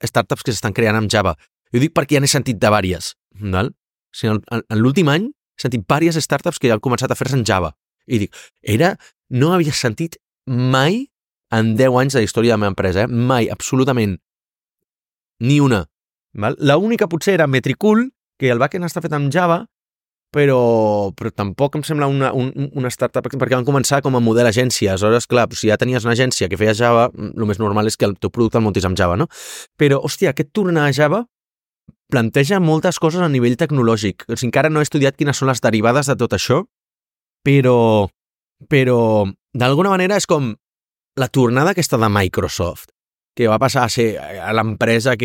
startups que s'estan creant amb Java. Jo dic perquè ja n'he sentit de vàries. Val? O sigui, en l'últim any he sentit vàries startups que han començat a fer-se en Java. I dic, no havia sentit mai en 10 anys de història de la meva empresa, mai, absolutament, ni una. Val? L'única potser era Metricool, que el backend està fet amb Java, però tampoc em sembla una startup, perquè van començar com a model agència. Aleshores, clar, si ja tenies una agència que feia Java, el més normal és que el teu producte el muntis amb Java, no? Però, hòstia, aquest tornar a Java planteja moltes coses a nivell tecnològic. O sigui, encara no he estudiat quines són les derivades de tot això, però d'alguna manera és com la tornada aquesta de Microsoft, que va passar a ser l'empresa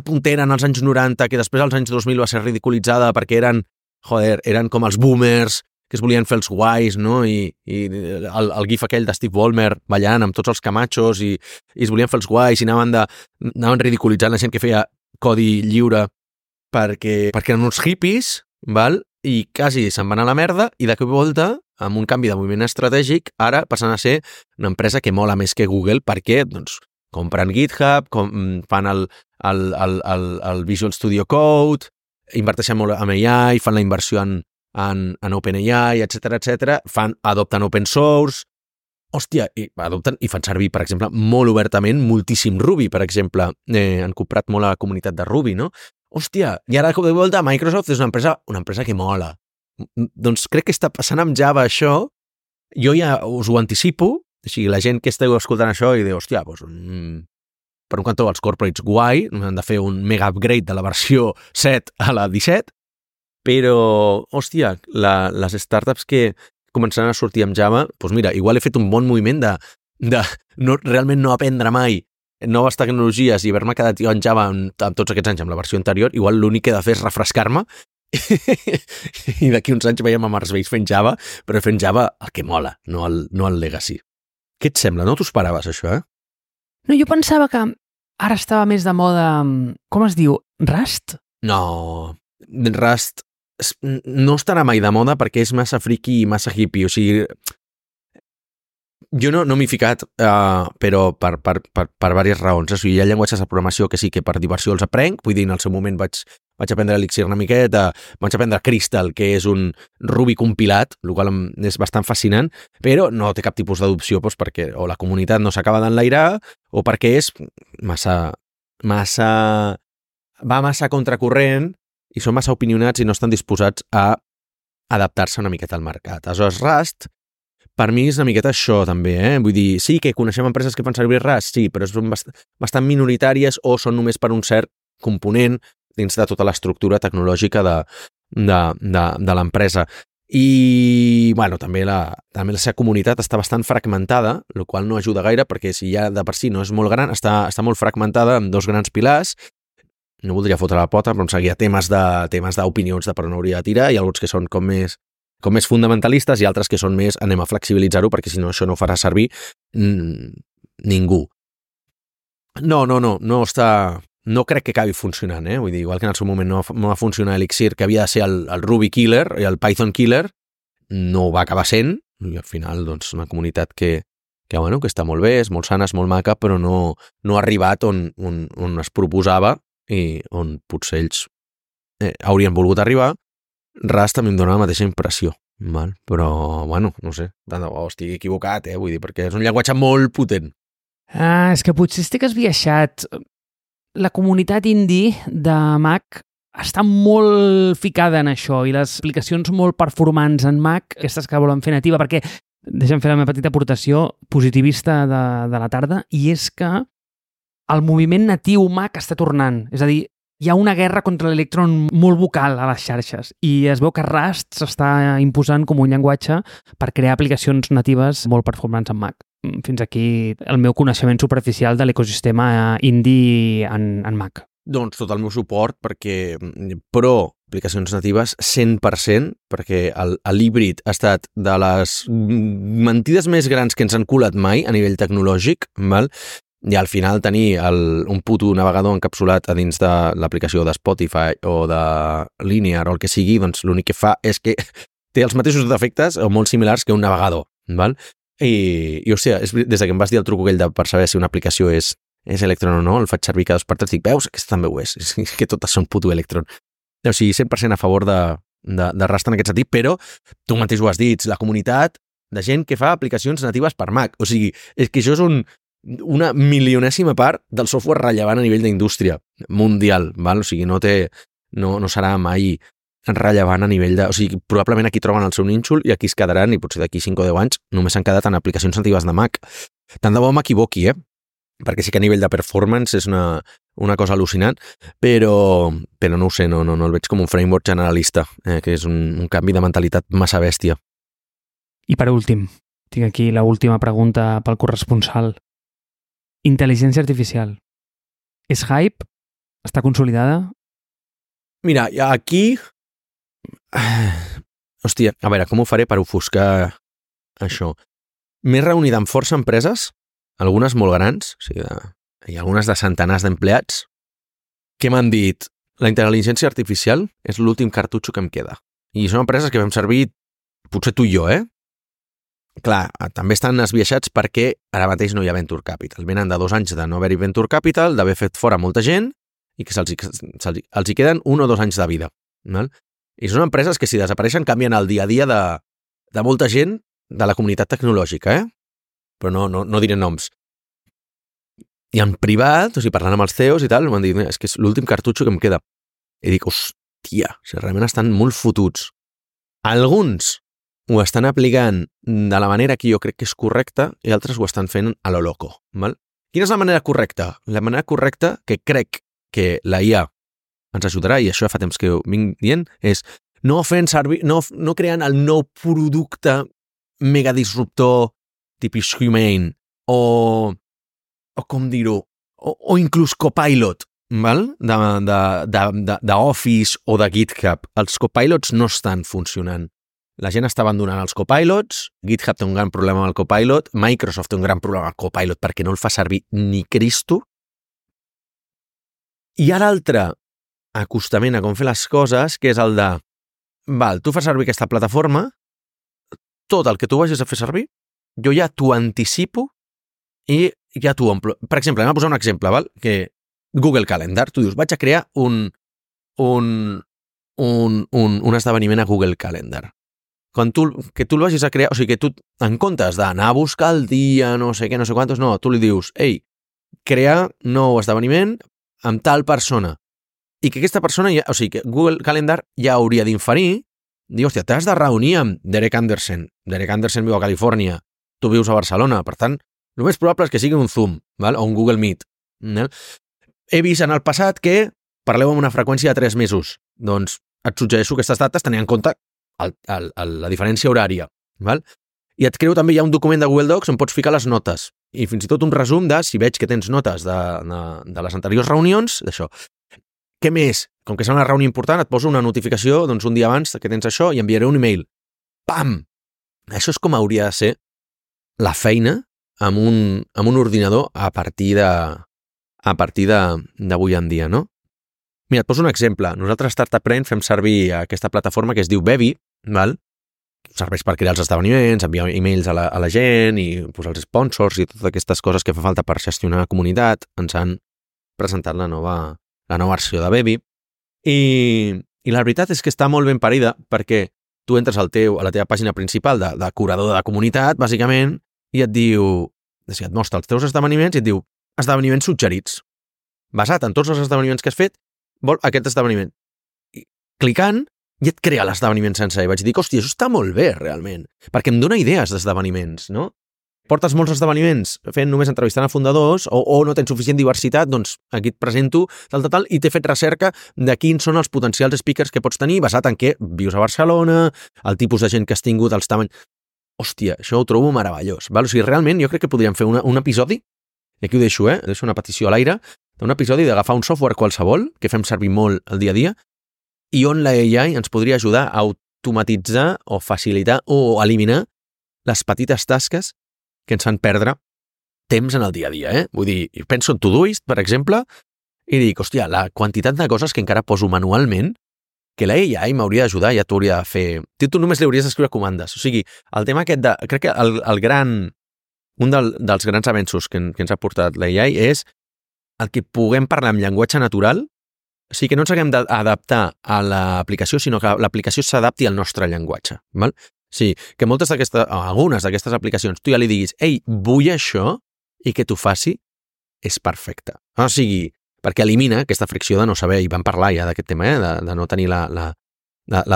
puntera en els anys 90, que després als anys 2000 va ser ridiculitzada perquè eren com els boomers que es volien fer els guais, no? I el gif aquell de Steve Ballmer ballant amb tots els camachos i es volien fer els guais i anaven ridiculitzant la gent que feia codi lliure perquè eren uns hippies, val? I quasi se'n van a la merda i de cop i volta, amb un canvi de moviment estratègic, ara passen a ser una empresa que mola més que Google perquè, doncs, compren GitHub, fan el Visual Studio Code, inverteixen molt en AI, fan la inversió en OpenAI, etc, adopten open source, hòstia, adopten i fan servir, per exemple, molt obertament, moltíssim Ruby, per exemple. Han comprat molt a la comunitat de Ruby, no? Hòstia, i ara de volta Microsoft és una empresa que mola. Doncs crec que està passant amb Java això, jo ja us ho anticipo, o sigui, la gent que esteu escoltant això i diu, hòstia, doncs, per un cantó els corporates guai, han de fer un mega upgrade de la versió 7 a la 17, però, hòstia, les startups que començaran a sortir amb Java, doncs mira, igual he fet un bon moviment de realment no aprendre mai noves tecnologies i haver-me quedat jo en Java amb tots aquests anys amb la versió anterior, igual l'únic que he de fer és refrescar-me i d'aquí uns anys veiem a Mars-based fent Java, però fent Java el que mola, no el legacy. Què et sembla? No t'ho esperaves, això, No, jo pensava que ara estava més de moda, com es diu, Rust? No, Rust no estarà mai de moda perquè és massa friki i massa hippie, o sigui, jo no m'hi he ficat, però per diverses raons. O sigui, hi ha llenguatges de programació que sí que per diversió els aprenc, vull dir, en el seu moment vaig aprendre Elixir una miqueta, vaig aprendre Crystal, que és un Ruby compilat, el qual és bastant fascinant, però no té cap tipus d'adopció doncs, perquè o la comunitat no s'acaba d'enlairar o perquè és va massa contracorrent i són massa opinionats i no estan disposats a adaptar-se una miqueta al mercat. Aleshores, Rust, per mi és una miqueta això també, Vull dir, sí que coneixem empreses que fan servir Rust, sí, però són bastant minoritàries o són només per un cert component dins de tota l'estructura tecnològica de l'empresa. I, bueno, també la seva comunitat està bastant fragmentada, el qual no ajuda gaire, perquè si ja de per si no és molt gran, està molt fragmentada amb dos grans pilars. No voldria fotre la pota, però em seguia temes d'opinions de per on hauria de tirar, i alguns que són com més fundamentalistes i altres que són més anem a flexibilitzar-ho perquè si no això no farà servir ningú. No crec que acabi funcionant, Vull dir, igual que en el seu moment no va funcionar Elixir, que havia de ser el Ruby killer i el Python killer, no ho va acabar sent, i al final, doncs, una comunitat que bueno, que està molt bé, és molt sana, és molt maca, però no ha arribat on es proposava i on potser ells haurien volgut arribar. Rust també em dona la mateixa impressió, val? Però, bueno, no sé, tant de bo estic equivocat, vull dir, perquè és un llenguatge molt potent. És que potser estic esbiaixat. La comunitat indie de Mac està molt ficada en això i les aplicacions molt performants en Mac, aquestes que volen fer nativa, perquè deixa'm fer la meva petita aportació positivista de la tarda, i és que el moviment natiu Mac està tornant. És a dir, hi ha una guerra contra l'Electron molt vocal a les xarxes i es veu que Rust s'està imposant com un llenguatge per crear aplicacions natives molt performants en Mac. Fins aquí el meu coneixement superficial de l'ecosistema indie en Mac. Doncs tot el meu suport, perquè pro aplicacions natives 100%, perquè l'híbrid ha estat de les mentides més grans que ens han colat mai a nivell tecnològic, val? I al final tenir un puto navegador encapsulat a dins de l'aplicació de Spotify o de Linear o el que sigui, doncs l'únic que fa és que té els mateixos defectes o molt similars que un navegador, val? I hòstia, des que em vas dir el truc aquell per saber si una aplicació és Electron o no, el faig servir cada 2 per 3, dic, veus? Aquesta també ho és que totes són puto Electron. O sigui, 100% a favor de Rust en aquest sentit, però tu mateix ho has dit, la comunitat de gent que fa aplicacions natives per Mac. O sigui, és que això és una milionèsima part del software rellevant a nivell d'indústria mundial, val? O sigui, no serà mai rellevant a nivell de... O sigui, probablement aquí troben el seu nínxol i aquí es quedaran i potser d'aquí 5 o 10 anys només s'han quedat en aplicacions natives de Mac. Tant de bo m'equivoqui, perquè sí que a nivell de performance és una cosa al·lucinant, però no ho sé, no el veig com un framework generalista, que és un canvi de mentalitat massa bèstia. I per últim, tinc aquí l'última pregunta pel corresponsal. Intel·ligència artificial. És hype? Està consolidada? Mira, aquí... Hòstia, a veure, com ho faré per ofuscar això? M'he reunit amb força empreses, algunes molt grans, o sigui, hi ha algunes de centenars d'empleats, que m'han dit la intel·ligència artificial és l'últim cartutxo que em queda. I són empreses que vam servir, potser tu i jo, Clar, també estan esbiaixats perquè ara mateix no hi ha Venture Capital. Venen de 2 anys de no haver-hi Venture Capital, d'haver fet fora molta gent i que els hi queden 1 o 2 anys de vida. Val? I són empreses que si desapareixen canvien el dia a dia de molta gent de la comunitat tecnològica, però no diré noms. I en privat, o sigui, parlant amb els CEOs i tal, m'han dit, és que és l'últim cartutxo que em queda. I dic, hòstia, si realment estan molt fotuts. Alguns ho estan aplicant de la manera que jo crec que és correcta i altres ho estan fent a lo loco. Val? Quina és la manera correcta? La manera correcta que crec que la IA ens ajudarà, i això fa temps que ho vinc dient, és no fent servir, no creant el nou producte mega disruptor tipus Humane o com dir-ho, o inclús Copilot, val? De Office o de GitHub. Els Copilots no estan funcionant. La gent està abandonant els Copilots, GitHub té un gran problema amb el Copilot, Microsoft té un gran problema amb el Copilot perquè no el fa servir ni Cristo. Hi ha l'altre acostament a com fer les coses, que és el de, tu fas servir aquesta plataforma, tot el que tu vagis a fer servir, jo ja t'ho anticipo i ja t'ho omplo. Per exemple, anem a posar un exemple, val? Que Google Calendar, tu dius, vaig a crear un esdeveniment a Google Calendar. Que tu el vagis a crear, o sigui, que tu, en comptes d'anar a buscar el dia, no sé què, no sé quantos, no, tu li dius, ei, crea nou esdeveniment amb tal persona. I que aquesta persona, o sigui, que Google Calendar ja hauria d'inferir, dir, hòstia, t'has de reunir amb Derek Anderson. Derek Anderson viu a Califòrnia, tu vius a Barcelona, per tant, el més probable és que sigui un Zoom, val? O un Google Meet. He vist en el passat que parleu amb una freqüència de 3 mesos. Doncs et suggereixo aquestes dates tenint en compte la diferència horària. Val? I et creu també, hi ha un document de Google Docs on pots ficar les notes i fins i tot un resum de si veig que tens notes de les anteriors reunions, d'això. Què més? Com que serà una reunió important, et poso una notificació un dia abans que tens això i enviaré un email. Pam! Això és com hauria de ser la feina amb un ordinador a partir d'avui en dia, no? Mira, et poso un exemple. Nosaltres a Startup Brain fem servir aquesta plataforma que es diu Bebby, val? serveix per crear els esdeveniments, enviar e-mails a la gent i posar els sponsors i totes aquestes coses que fa falta per gestionar la comunitat. Ens han presentat la nova versió de Bebby i la veritat és que està molt ben parida perquè tu entres a la teva pàgina principal de curador de comunitat, bàsicament, i et diu, et mostra els teus esdeveniments i et diu esdeveniments suggerits. Basat en tots els esdeveniments que has fet, vol aquest esdeveniment. I clicant, i et crea l'esdeveniment sense. I vaig dir, hòstia, això està molt bé, realment, perquè em dona idees d'esdeveniments, no? Portes molts esdeveniments fent només entrevistant a fundadors o no tens suficient diversitat, doncs aquí et presento tal, i t'he fet recerca de quins són els potencials speakers que pots tenir basat en què vius a Barcelona, el tipus de gent que has tingut, els tamanys... Hòstia, això ho trobo meravellós. Val? O sigui, realment jo crec que podríem fer un episodi, i aquí ho deixo, deixo una petició a l'aire, d'un episodi d'agafar un software qualsevol, que fem servir molt el dia a dia, i on la AI ens podria ajudar a automatitzar o facilitar o eliminar les petites tasques que ens fan perdre temps en el dia a dia. Vull dir, penso en Todoist, per exemple, i dic, hòstia, la quantitat de coses que encara poso manualment, que la AI m'hauria d'ajudar, ja t'hauria de fer... Tu només li hauries d'escriure comandes. O sigui, el tema aquest de... Crec que un dels grans avenços que ens ha portat la AI és el que puguem parlar en llenguatge natural, o sigui, que no ens haguem d'adaptar a l'aplicació, sinó que l'aplicació s'adapti al nostre llenguatge. Val? Sí, que algunes d'aquestes aplicacions tu ja li diguis, ei, vull això, i que t'ho faci, és perfecte. O sigui, perquè elimina aquesta fricció de no saber, i vam parlar ja d'aquest tema, de no tenir la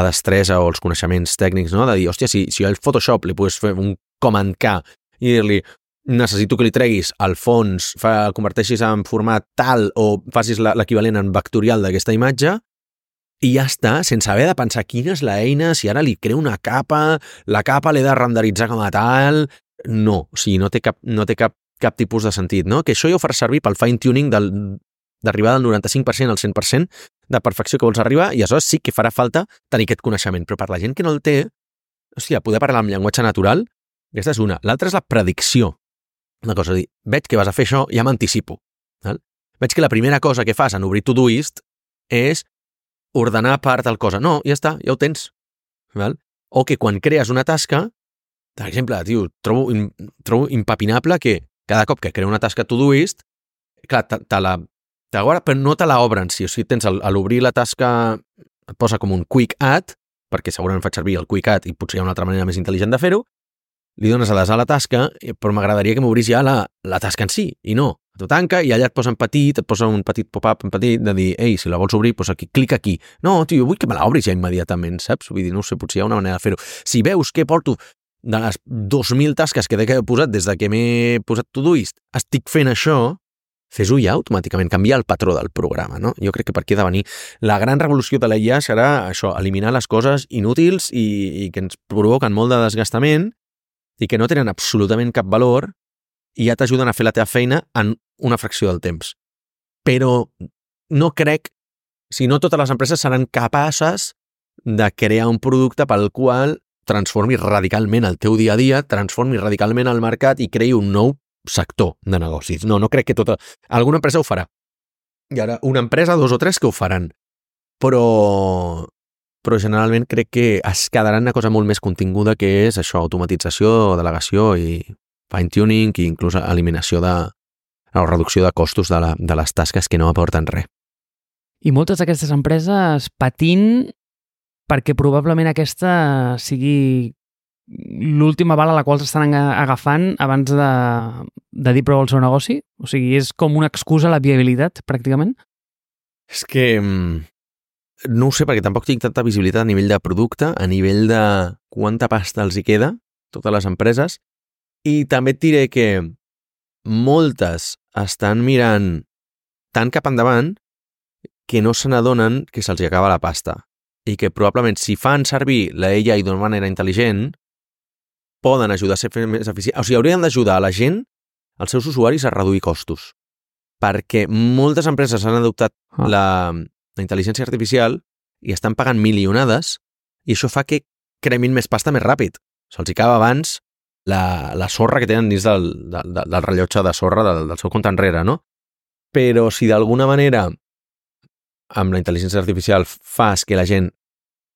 destresa o els coneixements tècnics, no? De dir, hòstia, si al Photoshop li pots fer un command K i dir-li, necessito que li treguis el fons, converteixis en format tal o facis l'equivalent en vectorial d'aquesta imatge, i ja està, sense haver de pensar quina és l'eina, si ara li creo una capa, la capa l'he de renderitzar com a tal... No, o sigui, no té cap tipus de sentit, no? Que això ja ho farà servir pel fine-tuning d'arribar del 95% al 100% de perfecció que vols arribar, i aleshores sí que farà falta tenir aquest coneixement, però per la gent que no el té, hòstia, poder parlar amb llenguatge natural, aquesta és una. L'altra és la predicció. Una cosa, dir, veig que vas a fer això, ja m'anticipo. Veig que la primera cosa que fas en obrir Todoist és ordenar part tal cosa. No, ja està, ja ho tens. Val? O que quan crees una tasca, per exemple, tio, trobo impepinable que cada cop que creo una tasca Todoist, clar, te la guarda, però no te la obre en si. O sigui, tens a l'obrir la tasca, et posa com un quick add, perquè segurament faig servir el quick add i potser hi ha una altra manera més intel·ligent de fer-ho, li dones a la tasca, però m'agradaria que m'obrís ja la tasca en si, i no. T'ho tanca i allà et posa en petit, et posa un petit pop-up en petit de dir, ei, si la vols obrir, doncs aquí, clica aquí. No, tio, vull que me l'obris ja immediatament, saps? Vull dir, no sé, potser hi ha una manera de fer-ho. Si veus que porto de les 2.000 tasques que he posat des de que m'he posat Todoist, estic fent això, fes-ho ja automàticament, canviar el patró del programa, no? Jo crec que per aquí ha de venir. La gran revolució de la IA serà això, eliminar les coses inútils i que ens provoquen molt de desgastament i que no tenen absolutament cap valor i ja t'ajuden a fer la teva feina en una fracció del temps. Però no crec, si no totes les empreses seran capaces de crear un producte pel qual transformi radicalment el teu dia a dia, transformi radicalment el mercat i creï un nou sector de negocis. No crec que alguna empresa ho farà. Hi haurà una empresa, 2 o 3 que ho faran. Però generalment crec que es quedarà una cosa molt més continguda, que és això, automatització, delegació i fine-tuning i inclús eliminació o reducció de costos de les tasques que no aporten res. I moltes d'aquestes empreses patint perquè probablement aquesta sigui l'última bala a la qual s'estan agafant abans de dir prou al seu negoci? O sigui, és com una excusa a la viabilitat, pràcticament? És que no ho sé, perquè tampoc tinc tanta visibilitat a nivell de producte, a nivell de quanta pasta els hi queda, totes les empreses, i també et diré que moltes estan mirant tan cap endavant que no se n'adonen que se'ls acaba la pasta i que probablement si fan servir la AI d'una manera intel·ligent poden ajudar a ser més eficients. O sigui, haurien d'ajudar a la gent, als seus usuaris, a reduir costos. Perquè moltes empreses han adoptat la intel·ligència artificial i estan pagant milionades i això fa que cremin més pasta més ràpid. Se'ls acaba abans la sorra que tenen dins del rellotge de sorra del seu compte enrere, no? Però si d'alguna manera amb la intel·ligència artificial fas que la gent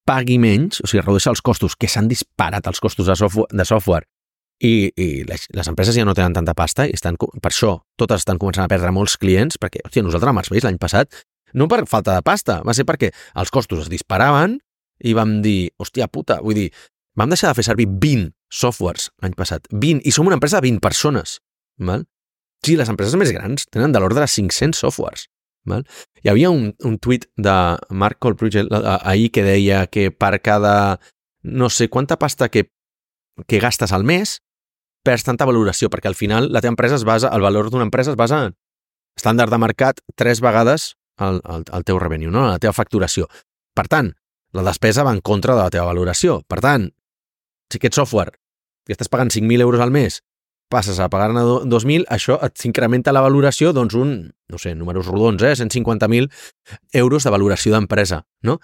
pagui menys, o sigui, redueixi els costos, que s'han disparat els costos de software i les empreses ja no tenen tanta pasta i per això totes estan començant a perdre molts clients, perquè, hòstia, nosaltres amb els Waze l'any passat, no per falta de pasta, va ser perquè els costos es disparaven i vam dir, hòstia puta, vull dir, vam deixar de fer servir 20 softwares l'any passat, 20, i som una empresa de 20 persones, val? Sí, les empreses més grans tenen de l'ordre de 500 softwares, val? Hi havia un tuit de Mark Colbrugel ahir que deia que per cada no sé quanta pasta que gastes al mes perds tanta valoració, perquè al final la teva empresa el valor d'una empresa es basa en estàndard de mercat 3 vegades el teu revenue, no? La teva facturació. Per tant, la despesa va en contra de la teva valoració. Per tant, si aquest software que estàs pagant 5.000 euros al mes passes a pagar-ne 2.000, això et s'incrementa la valoració, doncs no sé, números rodons, 150.000 euros de valoració d'empresa, no?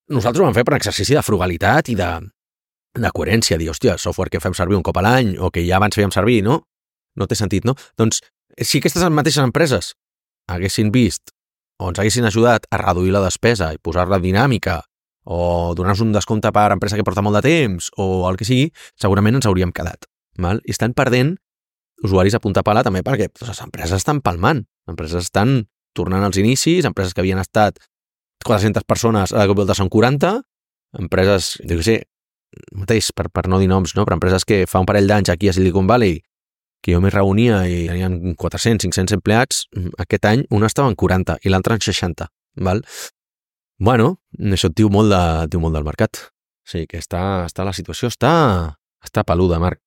Nosaltres ho vam fer per exercici de frugalitat i de coherència, dir, hòstia, software que fem servir un cop a l'any o que ja abans fèiem servir, no? No té sentit, no? Doncs, si aquestes mateixes empreses haguessin vist o ens haguessin ajudat a reduir la despesa i posar-la dinàmica o donar-nos un descompte per empresa que porta molt de temps o el que sigui, segurament ens hauríem quedat. Val? I estan perdent usuaris a punta pala també perquè les empreses estan palmant, les empreses estan tornant als inicis, empreses que havien estat 400 persones, a la que són 40, empreses, jo què sé, mateix, per no dir noms, no? Però empreses que fa un parell d'anys aquí a Silicon Valley que jo m'hi reunia i tenien 400, 500 empleats, aquest any una estava en 40 i l'altra en 60, val? Bueno, això et diu molt del mercat. O sigui que la situació està peluda, Marc.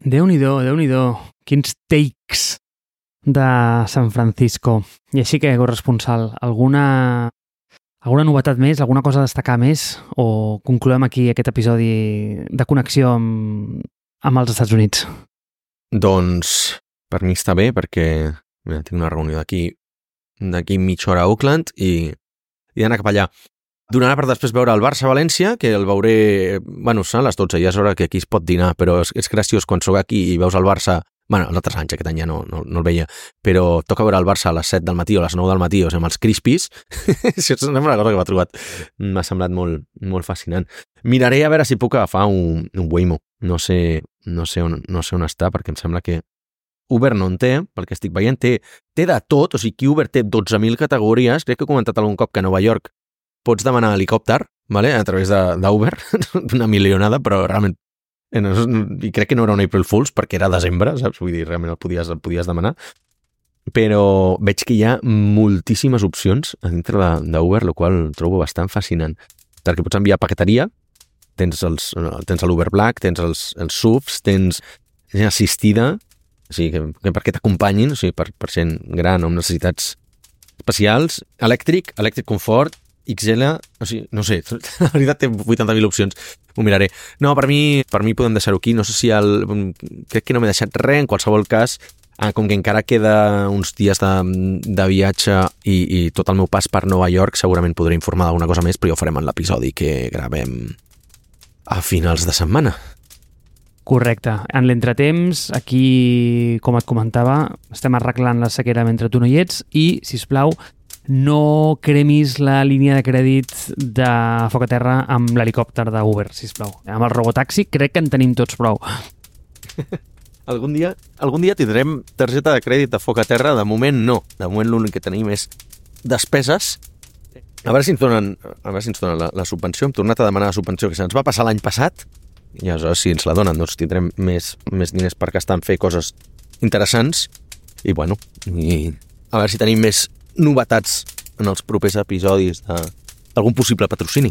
Déu-n'hi-do, Déu-n'hi-do. Quins takes de San Francisco. I així que, corresponsal, alguna novetat més, alguna cosa a destacar més o concloem aquí aquest episodi de connexió amb els Estats Units? Doncs per mi està bé perquè tinc una reunió d'aquí mitja hora a Oakland i d'anar cap allà. Donarà per després veure el Barça-València, que el veuré, bueno, són a les 12, ja és hora que aquí es pot dinar, però és graciós quan sóc aquí i veus el Barça, bueno, l'altre anys, aquest any ja no el veia, però toca veure el Barça a les 7 del matí o a les 9 del matí, o sigui, amb els crispis, això és una cosa que m'ha trobat, m'ha semblat molt, molt fascinant. Miraré a veure si puc agafar un Waymo, no sé on està, perquè em sembla que Uber no en té, pel que estic veient, té de tot, o sigui, Uber té 12.000 categories, crec que he comentat algun cop que a Nova York pots demanar helicòpter, vale? A través d'Uber, una milionada, però realment, i crec que no era un April Fools, perquè era desembre, saps? Vull dir, realment el podies demanar, però veig que hi ha moltíssimes opcions a dintre d'Uber, el qual trobo bastant fascinant, perquè pots enviar paqueteria, tens l'Uber Black, tens els SUVs, tens gent assistida, o sigui, que perquè t'acompanyin, o sigui, per gent gran o amb necessitats especials, elèctric confort, XL, o sigui, no sé, la veritat té 80.000 opcions, ho miraré. No, per mi podem deixar-ho aquí, no sé si crec que no m'he deixat res, en qualsevol cas, com que encara queda uns dies de viatge i tot el meu pas per Nova York, segurament podré informar d'alguna cosa més, però ja ho farem en l'episodi que gravem a finals de setmana. Correcte. En l'entretemps, aquí, com et comentava, estem arreglant la sequera mentre tu no hi ets i, sisplau, no cremis la línia de crèdit de Foc a Terra amb l'helicòpter d'Uber, sisplau. Amb el robotaxi crec que en tenim tots prou. Algun dia tindrem targeta de crèdit de Foc a Terra, de moment no. De moment l'únic que tenim és despeses. A veure si ens donen la subvenció. Hem tornat a demanar la subvenció que se'ns va passar l'any passat i aleshores si ens la donen doncs tindrem més diners per gastar en fer coses interessants i bueno, a veure si tenim més novetats en els propers episodis d'algun possible patrocini.